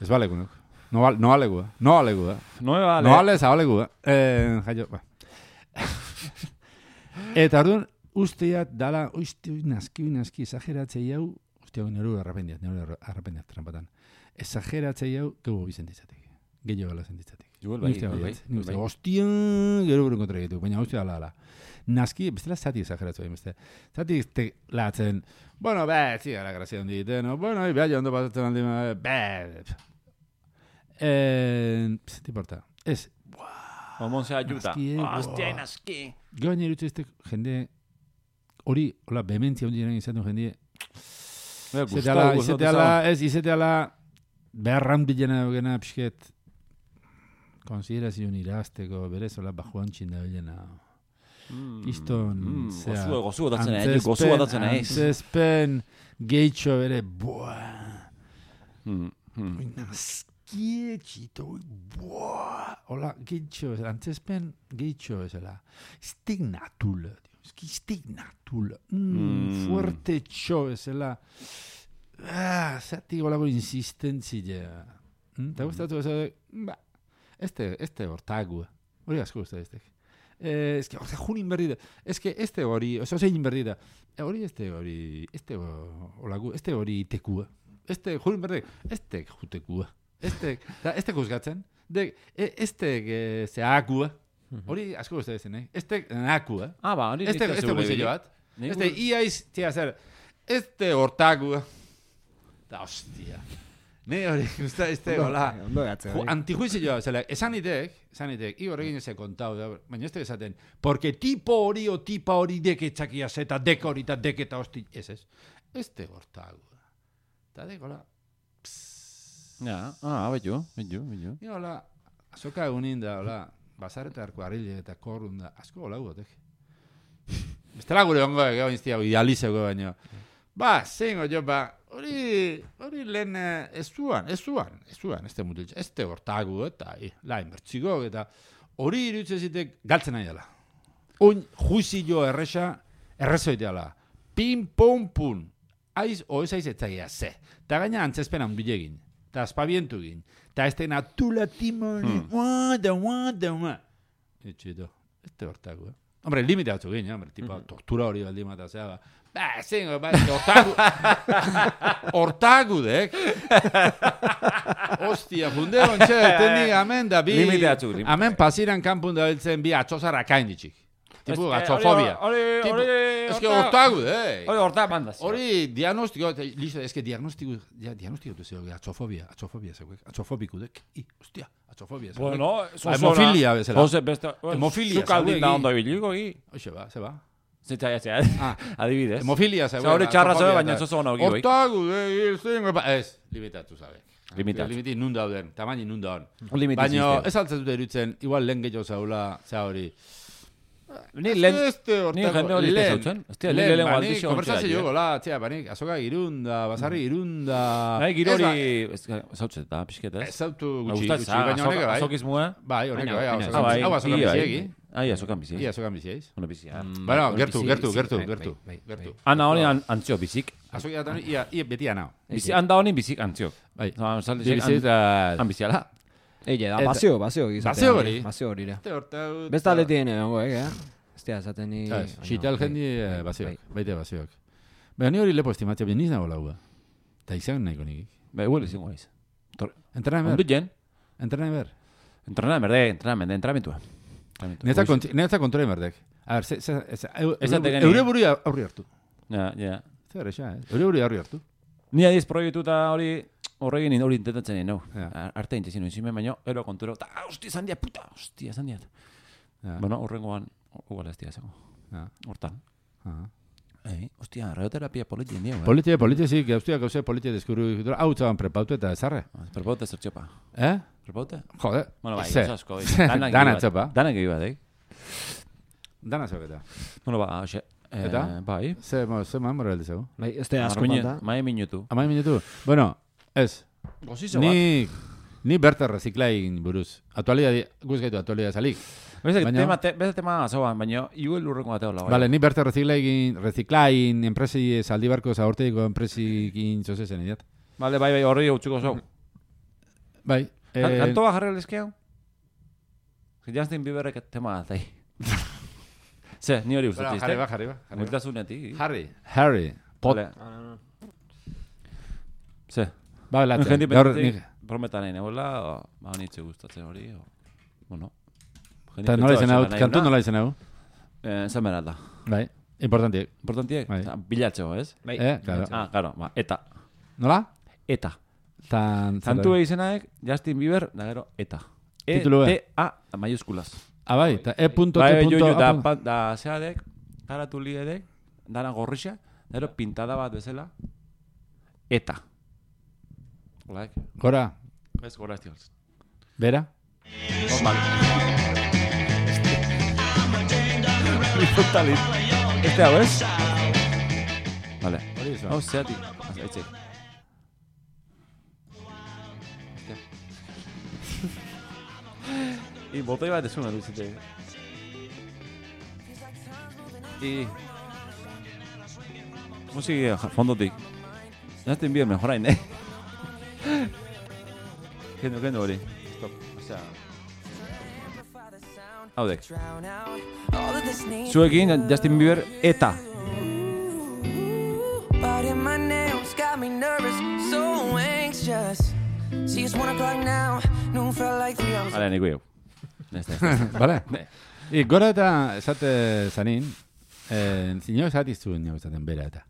Ez balegu nau. No, val- no alegu, eh. No alegu, eh. No me vale. No ale, zabalegu, eh. Eh, jaio, ba. Eta orduan, usteat dala, oizte, oi, naski, oi, naski, exageratzei hau, uste hau, neru arrapendiat, neru arrapendiat trampatan. Exageratzei hau, gego bizentitzatik. Gehiago gala zentitzatik. Igual bai, Ni uste igual baietz, bai, ni uste, igual bai. ostia, gero buru kontra egitu, baina uste dala, ala. Naski, bestela zati exageratu egin beste. Zati te latzen, bueno, be, zi, gara grazia hondi egiten, no? Bueno, beha ondo pasatzen aldi, be, eh, pss, te importa. Ez, Omon se ayuda. Naski, eh, Hostia, buah. naski. Gaina irutze este jende hori, hola, behementzia hundi jaren izan duen jende, Me izate ala, izate ala, ez, izate ala, beharran bilena dugena pixket konsiderazioan irazteko berezola bajuan txinda bilena. Kiston, Mm, zera, gozu, gozu gotatzen nahi, gozu gotatzen nahi. antzezpen gehitxo bere, buah, Mm, mm. oi nazkietxito, oi, buah, hola, gehitxo, antzezpen gehitxo bezala, stignatula, eski stignatula, mm, Mm. fuerte txo bezala, ah, zati golako insistentzia, mm? Eta gustatu bezala, ba, este, este hortagua, hori asko guztu eztek. Eh, es que, o sea, junin berri da. Es que este hori, oso zein berri da. Eh, hori este hori, este olagu, este hori tekua. Este junin berri, este jutekua. Este, da, este juzgatzen. De, e, este que se akua. Hori asko uste dezen, eh? Este nakua. Ah, ba, hori Este, este guzillo bat. Este iaiz, tia zer, este hortagua. Da, hostia. Ne hori, usta, este, hola. Ondo gatze. Ju, antijuizioa, zela, esan itek, esan itek, igor egin eze kontau, da, baina ez te esaten, porque tipo hori o tipa hori deke txakia zeta, dek hori eta dek eta hosti, ez ez, ez te gortagu. Eta dek, hola, Ja, ah, betu, betu, betu. Ni hola, azoka egunin da, hola, basareta arko arrile eta korrun da, asko hola guotek. Bestela gure ongo egeo inztiago, idealizego baino. Ba, zengo jo, ba, hori, hori lehen eh, ez zuan, ez zuan, ez zuan, ez te mutiltz, ez te hortagu eta eh, lain bertxiko, eta hori iruditzen zitek galtzen nahi dela. Oin juizio erresa, errezoiteala. Pin, pon, pun. Aiz, oez aiz etzagia, ze. Ta gaina antzezpen handilegin. Ta aspabientu gin. Ta ez tena tula timoni, wada, wada, wada. Etxito, ez te hortagu, eh? Hombre, limite batzu gin, hombre, tipo, tortura hori baldin mata, zea, ba. Ba, zingo, ba, hortagu, hortagu dek. Ostia, funde ontxe, tenik, amen da bi, Limite batzu, limite. amen pasiran kanpun da biltzen bi atxozara kainditxik. Tipo, Eh, atxofobia. Hori, Tipo, hori, es que hortagu dek. Hori horta mandaz. Hori diagnostiko, listo, es que diagnostiko, ja, diagnostiko zeo, atxofobia, atxofobia zeuek, atxofobiku dek. I, hostia, atxofobia zeuek. Bueno, Ba, hemofilia bezala. Jose, beste, Hemofilia, zukaldin zauek, da i. ondo ibiliko, i. Hoxe ba, ze ba. Zeta, ja, zea, Ah, adibidez. hemofilia zeuek. Oza, hori txarra atxofobia zeu, baina eta- zozo ono egi, bai. Hortagu, eh, zingo, ba, ez, limitatu zabe. Limitatu. Limiti nun dauden, tamaini nun dauden. Limite Baina sistema. ez altzen dute irutzen, igual lehen gehiago zaula, za hori. Ni lehen, Este ni jende hori ez zautzen. Ez tia, lehen lehen banik, aldizio konversazio jogo, la, tia, banik, azoka irunda, basarri irunda. Nahi, giro Ez ba- hori, zautzen eta, pixket, ez? Ez zautu Me gutxi, gusta, gutxi, baina honek bai. azokizmua. Bai, honek Baina, bai, hau baina, azokan Ah, bai, bizi- hau azokan ia, bai. biziegi. Ai, azokan bizi. Ia azokan bizieiz. Ono bizia. Bueno, hori gertu, bizi- gertu, bizi- gertu, bai, gertu, bai, bai, gertu. Ana hori an- antzio bizik. Azokia da, ia, ia beti anao. Bizi, handa honi bizik antziok. Bai. Zan, salde, Bi bizi- han biziala. Eile, da, Eta- bazio, bazio gizatea. Bazio hori. Bazio hori da. Te hortau... Besta aletien egongo, eh? Ez tia, esaten ni... Sabes, baina, xital bai, jendi eh, bai, bazioak, bai. baite bazioak. Baina ni hori lepo estimatzea, baina niz nago laua. Ta izan nahiko nik. Bai, huele zingo aiz. Entrenan Ondu ber, jen. entrenan ber. Entrenan, berde, entrenan, entramentua. Netza konti- netza kontrole berdek. A ber, ze, ze, ze, eu- Ez eure- ategeni. eure buri aurri hartu. Ja, ja. Zer exa, eh? Eure buri aurri hartu. Ni adiz proiektu eta hori horregin hori intentatzen nien, no. Ja. Arte intezin nuen zimen, baina ero konturo, eta hostia, esan diat, puta, hostia, esan diat. Ja. Bueno, horrengoan, igual ez diazeko. Ja. Hortan. Aha. Ei, hostia, radioterapia politien dio, eh? Politia, politia zik, gauztiak gauze politia deskubru, hau txaban prepautu eta ezarre. Perpaute zertxopa. Eh? Perpaute? Jode. Bueno, bai, Ze. oso asko. eh. Danak Dana egi bat. txopa. Danak egi bat, eh? Dana zogeta. Bueno, ba, hoxe. eh, Eta? Bai. Ze, mo, ze man morel dezego. Bai, ez da asko Marmine- falta. Mai minutu. Amai minutu. Bueno, ez. Gozizo bat. Ni, ni berta reziklain buruz. Aktualidad, guz gaitu aktualidad salik. Beste Baina- tema, te, beste tema zoan, baina igual urrengo bateo la. Vale, ni berta reziklain, reziklain, enpresi, zaldi barko, zaborteiko enpresikin zozezen idiat. Vale, bai, bai, horri utzuko zau. Bai. Eh, eh, Kantoa jarri lezkeo? Justin Bieberrek tema atai. Ze, ni hori bueno, uste jarri ba, tizte. jarri ba. jarri ba. Multasunetik. Harry. Harry. Pot. Vale. Ah, no, no. Ze. Ba, latzen. Gente Gaur, pensatik, nik- prometa nahi negoela, o, ba, nitze gustatzen hori, o, bueno. Eta nola izan hau, kantu nola izan hau. Eh, zen bera da. Bai. Importantiek. Importantiek, Bai. bilatzeko, ez? Bai. Eh, claro. Ah, claro, ba, eta. Nola? Eta. Tan, Kantu izenaek, Justin Bieber, da gero, eta. E, Titulua. T, A, mayuskulas. Ah, bai, eta E punto, Bai, T bai, punto, jo, jo, A da, punto. pa- da, zeadek, garatu liedek, dana gorrixa, da gero, pintada bat bezala, eta. Like. Gora, Ez gora estigaz. bera? Normal. Totalit. Este hau, ez? Vale. Hori izan. Hau, zeatik. Aitze. I botoi bat ezuna duzite. I... Musiki fondotik. Justin Bieber mejorain, eh? Kendo, kendo hori. Stop. Osea... Haudek. Zuekin Justin Bieber eta. Hale, niko jau. Neste, neste. Bale? I gora eta esate zanin, eh, zino esati zuen jau esaten bera eta.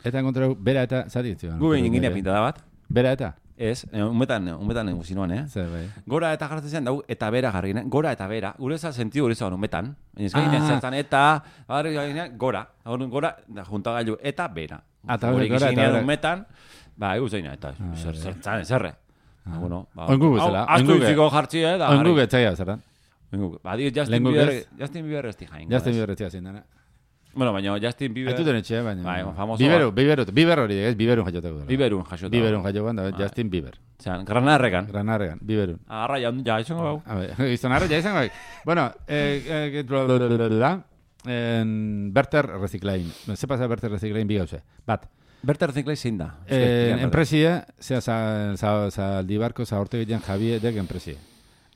Eta enkontrau bera eta esati zuen. Gu behin ingine pintada bat. Bera eta? Ez, umetan, umetan eguzinoan, eh? Zer, bai. Gora eta jartzen zen, dau, eta bera jarri, eh? Gora eta bera. Gure eza sentidu gure eza umetan. Baina ez gainen Ah. zertan eta, barri gainen, gora. Hor, gora, da, juntagailu, eta bera. Eta Gure gora eta ikizinean bera. umetan, ba, eguz zeina, eta zer, zertan, ezerre. Ba, bueno, ba. Oingu bezala, Hau, asko oingu ge- utziko jartzi, eh, da. Oingu getzaia zertan. Oingu. Ba, dio, Justin Lehengo Bieber, gez. Justin Bieber ez di jain. Justin Bieber etzia zein dana. Bueno, baina Justin Bieber... Aituten etxe, baina... Bai, famoso Biberu, bat. biberu, biber hori, ez? Biberun jaioteko dela. Biberun jasota. Biberun jaioan da, Bai. Justin Bieber. Zeran, granarrekan. Granarregan, biberun. Agarra, ja, ja, izango bau. A ver, izanarra ja izango bai. Bueno, eh, eh, blablabla, en Berter Reciclain. Ze pasa Berter Reciclain bi gauze. Bat, Berta reziklai zein da? eh, enpresie, zea za, za, zaldibarko, za horte gitean Javiedek enpresie.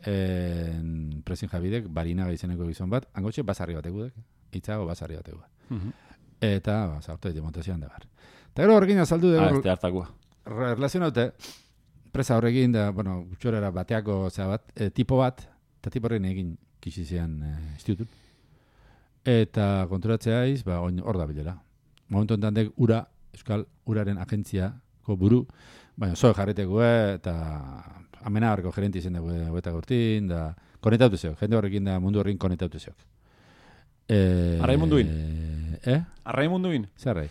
Eh, enpresien Javiedek, barina izeneko gizon bat, angotxe basarri batekudek, itzago basarri batekudek. Mhm. Eta, ba, za horte montazioan da bar. Eta gero horrekin azaldu Ah, dugu, este hartakua. relazionaute, presa horrekin da, bueno, gutxorera bateako zea bat, e, tipo bat, eta tipo horren egin kixizean e, institutut. Eta konturatzea iz, ba, oin hor da bilela. Momentu enten dek ura, Euskal Uraren agentziako buru, baina zoe jarreteko eta amenabarko gerenti izen dugu eta gortin, da konektatu zeok, jende horrekin da mundu horrekin konektatu zeok. E, Arrai munduin? Eh? Arrai munduin? Zerrai?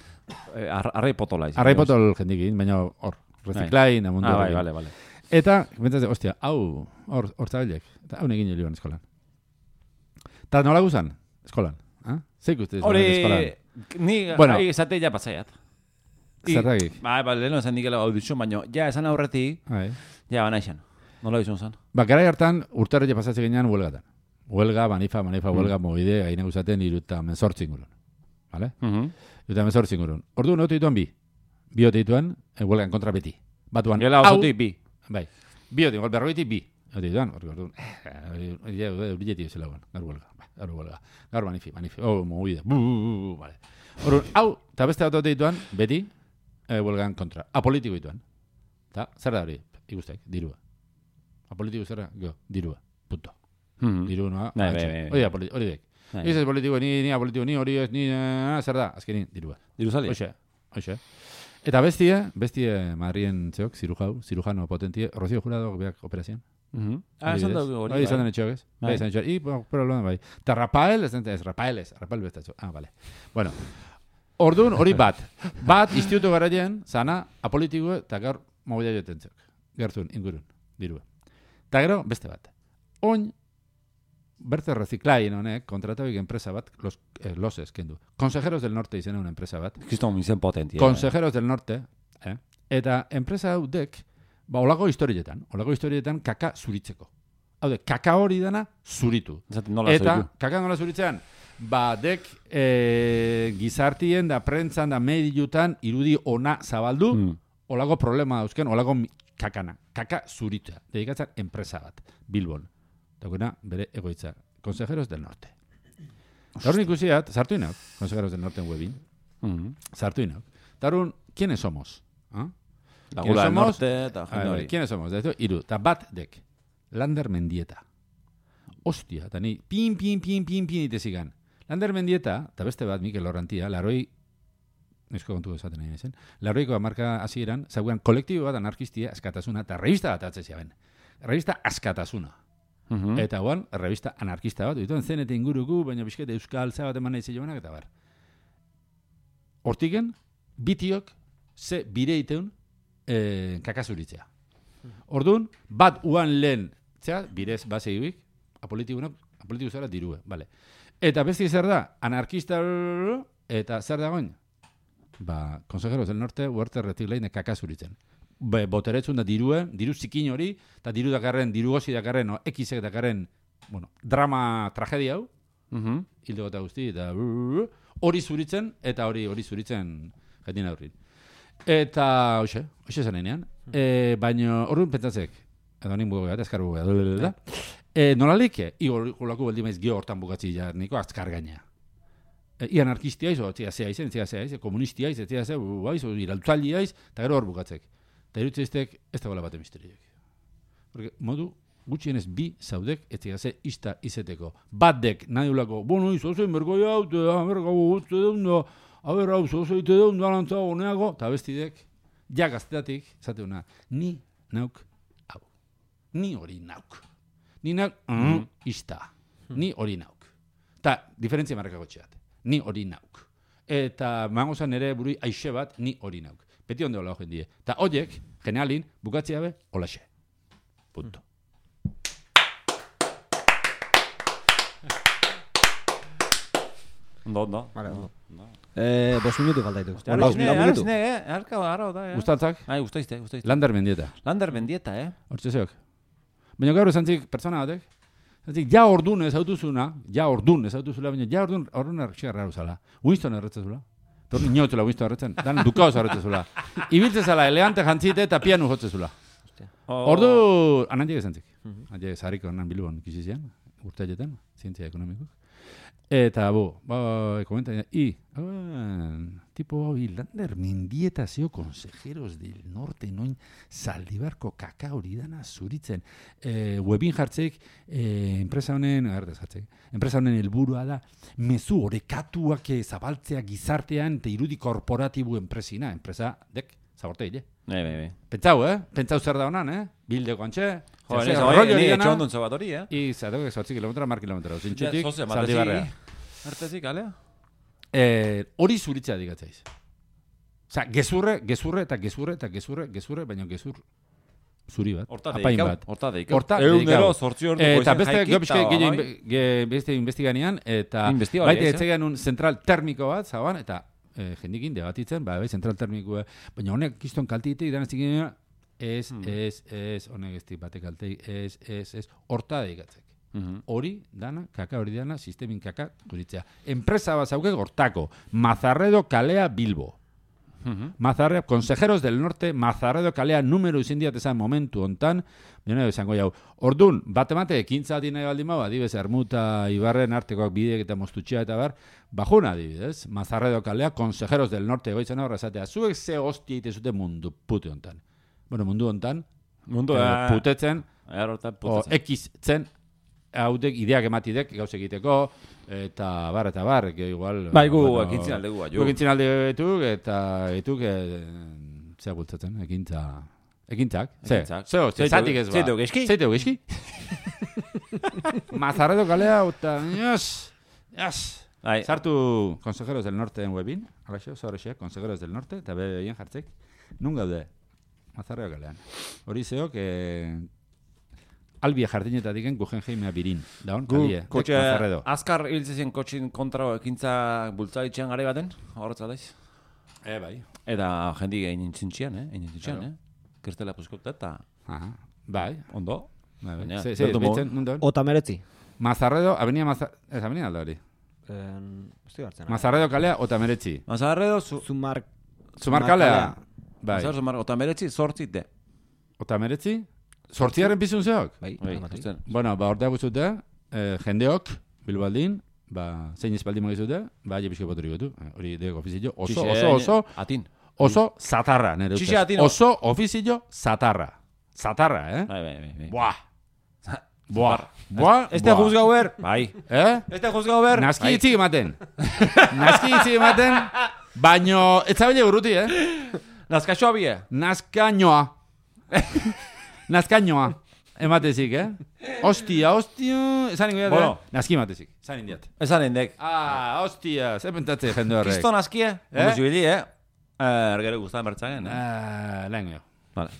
Eh, ar, arrai potola izan. Arrai potol jendikin, baina hor, reziklain, mundu Ah, bai, horrekin. vale, vale. Eta, bentzatzen, ostia, hau, hor, hor zabilek, eta hau negin joan eskolan. Eta nola guzan, eskolan? Ha? Zeik uste eskolan? Hori, ni Bueno. gai esate ja pasaiat. I- Zerragik? Bai, ba, leheno esan dikela audizion, baina ja esan aurretik, Bai. ja bana izan. Nola izan zan? Ba, garai hartan, urtarri pasatzen ginean huelgatan. Huelga, manifa, manifa, huelga, mobide, gaine guzaten iruta mezortzin gurun. Vale? Mhm. Iruta mezortzin gurun. Ordu notu dituan bi. Bi ote dituan, e, huelgan kontra beti. Batuan, Gela hau, osotik bi. bai. Bi ote, berrogetik bi. Ote dituan, ordu, ordu. Ja, urbileti zela guan, gaur huelga. Ba, gaur huelga. Gaur manifi, manifi. Oh, mobide. Bu, bu, bu, bu, vale. Ordu, hau, eta beste ote dituan, beti, e, huelgan kontra. Apolitiko dituan. Ta, zer da hori? Ikustek, dirua. Apolitiko zerra, go, dirua. Punto. Mhm. Diru noa. Bai, atxe. bai, bai. Hori da, politi- hori dek. Bai. Ez ez politiko, ni, ni apolitiko, ni hori ez, ni, eh, zer da, azkenin, dirua. Diru zali? Hoxe, hoxe. Eta bestie, bestie Madrien zeok, zirujau, zirujano potentie, Rocío Jurado beak operazioan. Mhm. Ah, esan Adibidez. dugu hori. Bai, izan bai. den etxeok ez? Bai. Bai, izan etxeok. I, bueno, pero lo bai. Eta Rafael, ez ez, Rafael ez, Rafael bestatxo. Ah, vale. Bueno, orduan hori bat. Bat, instituto garaien, zana, apolitiko eta gaur mobila joten zeok. Gertun, ingurun, dirua. Eta gero, beste bat. Oin, Berte Reciclain honek, kontratabik enpresa bat, los, eh, loses, kendu. Consejeros del Norte izena una enpresa bat. Kriston izen potentia. Consejeros del Norte, eh? Eta enpresa hau dek, ba, olako historietan, olako historietan kaka zuritzeko. Hau de, kaka hori dana zuritu. Zaten nola Eta, zoitu. kaka nola zuritzean, ba, dek e, gizartien da, prentzan da, mediutan, irudi ona zabaldu, Mm. olako problema dauzken, olako mi- kakana. Kaka zuritzea. Dedikatzen enpresa bat, Bilbon. Dagoena, bere egoitza. Consejeros del Norte. Eta hori ikusiat, sartu inauk, Consejeros del Norte en webin, Mhm. sartu inauk. Eta hori, ¿quiénes somos? ¿Ah? Lagula del somos? norte eta Ah, jende bai, hori. ¿quiénes somos? Eta iru, eta bat dek, Lander Mendieta. Ostia, eta ni, pin, pin, pin, pin, pin, itezigan. Lander Mendieta, eta beste bat, Mikel Orrantia, laroi, nesko kontu esaten nahi zen, laroiko amarka hasieran, zauan kolektibo bat anarkistia, askatasuna, eta revista bat atzea ben. Revista askatasuna. Mhm. Eta guan, revista anarkista bat, dituen zenete inguruku, baina bizkete euskal zabat eman nahi zeioanak, eta bar. Hortiken, bitiok, ze bire iteun, e, kakazuritzea. Orduan, bat uan lehen, zera, birez, baseibik, apolitikunak, apolitiku zara dirue, bale. Eta besti zer da, anarkista, eta zer dagoen? Ba, Consejeros del Norte, Huerte Retiklein kakazuritzen. Be, boteretzun da dirue, diru zikin hori, eta diru dakarren, diru gozi dakarren, o, ekizek dakarren, bueno, drama, tragedia hau, Mhm. hildo eta guzti, eta hori zuritzen, eta hori hori zuritzen jatin aurrin. Eta, hoxe, hoxe zanenean, e, baina horren pentsatzek, edo nin bugu bat, azkar bugu bat, e, nolalik, igolako beldi maiz gio hortan bukatzi jarniko azkar gaina. E, I anarkistia izo, etzia zea izen, etzia zea izen, komunistia izen, etzia zea, izo, iraltzaldi aiz, eta gero hor bukatzek. Eta irutzeiztek, ez da gola bate misteriek. Porque modu, gutxienez bi zaudek etzia ze ista izeteko. Batek nahi ulako, bueno, izo zein bergoi haute, bergau gutze deundo, haber hau zozoite deundo alantzago neago, eta bestidek, ja gazteatik, zate una, ni nauk hau. Ni hori nauk. Ni nauk, mm, ista. Ni hori nauk. Ta, diferentzia marrakako txeat. Ni hori nauk. Eta mangozan ere burui aixe bat, ni hori nauk. Beti onde hola hojen die. Ta horiek, generalin, bukatzea be, holaxe. Punto. Ondo, ondo. Vale, ondo. Eh, bost minutu falta ditu. Ara Bost esne, ara minutu. esne, eh? Arka, ara, da, eh? Gustatzak, Ai, gustaizte, gustaizte. Lander mendieta. Lander mendieta, eh? Hortxe zeok. Baina gaur esantzik pertsona batek, esantzik, ja ordun ez autuzuna, ja ordun ez autuzula, baina ja ordun, ordun erretxegarra uzala. Winston erretzezula. Torri inotzula Winston erretzen, dan dukaoz erretzezula. Ibiltzezala elegante jantzite eta pianu jotzezula. Ordu, anantik esantzik. Anantik zariko nan bilbon kizizian, urteaietan, zientzia ekonomikuk. Eta, bo, ba, komenta, i, ah, tipo, hau, Lander mendieta zeo Consejeros del Norte, noin Zaldibarko kaka hori dana zuritzen. E, webin jartzeik, e, enpresa honen, agartez jartzeik, enpresa honen helburua da, mezu orekatuak zabaltzea gizartean, eta irudi korporatibu enpresina, enpresa, dek, zaborte hile. Bai, bai, bai. Pentsau, eh? Pentsau zer da honan, eh? Bildeko antxe. Jo, zer ez rollo hori, hori ni dana. etxondun zabat hori, eh? I, zatok, zortzi kilometro, mar kilometro. Zintxutik, Ja, zoze, Zaldibarrea. matezi, artezik, alea? Eh, hori zuritzea digatzaiz. Osa, gezurre, gezurre eta gezurre eta gezurre, gezurre, baina gezur zuri bat. Horta apain deikau, bat. horta deikau. Horta Egunero, dedikau. zortzi ordu Eta goizen beste jaikita, gopizke gehiago bai. inbe- ge- beste investiganian, eta Investigaria, baita ez, eh? etzegan un zentral termiko bat, zaban, eta eh, jendikin debatitzen, ba, bai, zentral termikoa, baina honek kiston kaltite, idan ez dikina, ez, Hmm. ez, ez, honek ez dik batek kaltei, ez, ez, ez, horta dedikatzek. Mhm. Hori dana, kaka hori dana, sistemin kaka kuritzea. Enpresa bat zauke hortako, Mazarredo kalea Bilbo. Mhm. Mazarredo, Consejeros del Norte, Mazarredo kalea numero izin diatezan momentu hontan, baina esango jau. Ordun, bat emate, ekintza ati nahi baldin bau, adibez, Ermuta, Ibarren artekoak bideek eta mostutxea eta bar, bajuna adibidez, Mazarredo kalea, Consejeros del Norte, goitzen horra esatea, zuek ze hostia ite zute mundu pute hontan. Bueno, mundu hontan, Mundu, eh, eh, putetzen, errotan o putetzen. ekitzen, haudek ideak ematidek gauz egiteko, eta bar, eta bar, que igual... Bai, gu ekintzin aldegu, bai, Gu ekintzin alde etuk, eta etuk, e, zea bultzatzen, ekintza... Ekintzak? Ze? Ekintzak. Zeo, Zeitu- zatik ez ba. zeitu geski? Zeitu geski? Mazarredo kalea, eta... Yes! Yes! Bai, Sartu Consejeros del Norte en webin, alaxo, zorrexe, Consejeros del Norte, eta behien jartzek, nun gaude? Mazarredo kalean. Hori zeok, eh, albia jardinetatik diken Guggenheimea birin. Daun, gu, kalie, kotxe, Mazarredo. azkar hiltzezien kotxin kontra ekintza bultzalitzean gare baten, horretza daiz. Eh, bai. Eta jendi egin zintxian, eh? Egin zintxian, Claro. eh? Kertela puskota eta Aha, bai. ondo. Bai, bai. Baina, Ze, ze, bertu beitzen, nun daun? Ota meretzi. Mazarredo, avenida Mazarredo, ez avenida alda hori. Estoy hartzen. Mazarredo kalea, ota meretzi. Mazarredo, zu... Zumar... Zumarkalea, bai. Mazarredo, zumar, eta meretzi, sortzi de. Ota meretzi? Sortziaren pizun zeok? Bai, Bai, bai. justen. Bueno, ba, ordeak guztute, eh, jendeok, bilbaldin, ba, zein espaldin magizute, ba, je pixko poturik gotu. Eh, Hori deko ofizio, oso, oso, oso, Atin. oso zatarra, nere ustez. Txixe atino. Oso ofizio zatarra. Zatarra, eh? Bai, bai, bai, bai. Buah. Buah. Buah. Este buah. juzgau ber. Bai. Eh? Este juzgau ber. Naski hitzik ematen. Naski hitzik ematen, baino, ez zabile urruti, eh? Nazkaxoa bie. Nazkainoa. Nazkainoa. Ematezik, eh? Ostia, ostia. Esan ingo Bueno. eh? Naski ematezik. Esan indiat. Esan endek. Ah, ostia. Zer pentatze jende horrek. Kristo nazkie. Eh? Ondo zibili, eh? Ergero guztan bertzagen, eh? Ah, lehen geho. Vale.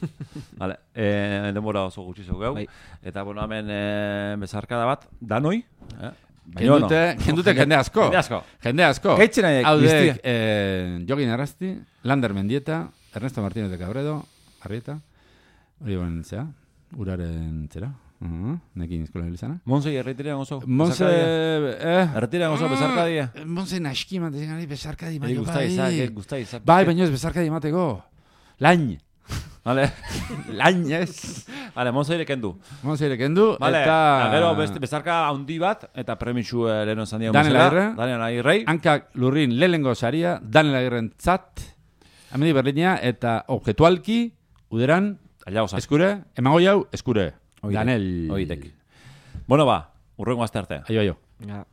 Vale. Eh, denbora oso gutxi zeu gau. Bai. Eta, bueno, hemen eh, bezarkada bat, danoi. Eh? Kendute, kendute jende asko. Jende asko. Jende asko. Gaitzen nahiek, Haudek, guztia. eh, Jogin Arrasti, Lander Mendieta, Ernesto Martínez de Cabredo, Arrieta, hori ben zea, uraren zera, uh -huh. nekin eskola hilizana. Monse erretirean oso. Monse, eh... Erretirean oso bezarkadia. Monse naski ematen gari bezarkadi Bai, maio, gusta izak, eh, gusta izak. Bai, baina ez bezarkadi emateko. Lain. Vale. Lain ez. Vale, Monse ere kendu. Monse ere kendu, Vale, eta... gero beste bezarka handi bat, eta premitxu eh, leheno esan diago Daniel Agirre. Daniel Agirrei. Hankak lurrin lehenengo saria, Daniel Agirren tzat, Amedi Berlina, eta objetualki, uderan, Allá eskure, emango jau, eskure. Oitek. Daniel. Oitek. Bueno, ba, urrengo azte arte. Aio, aio. Ja.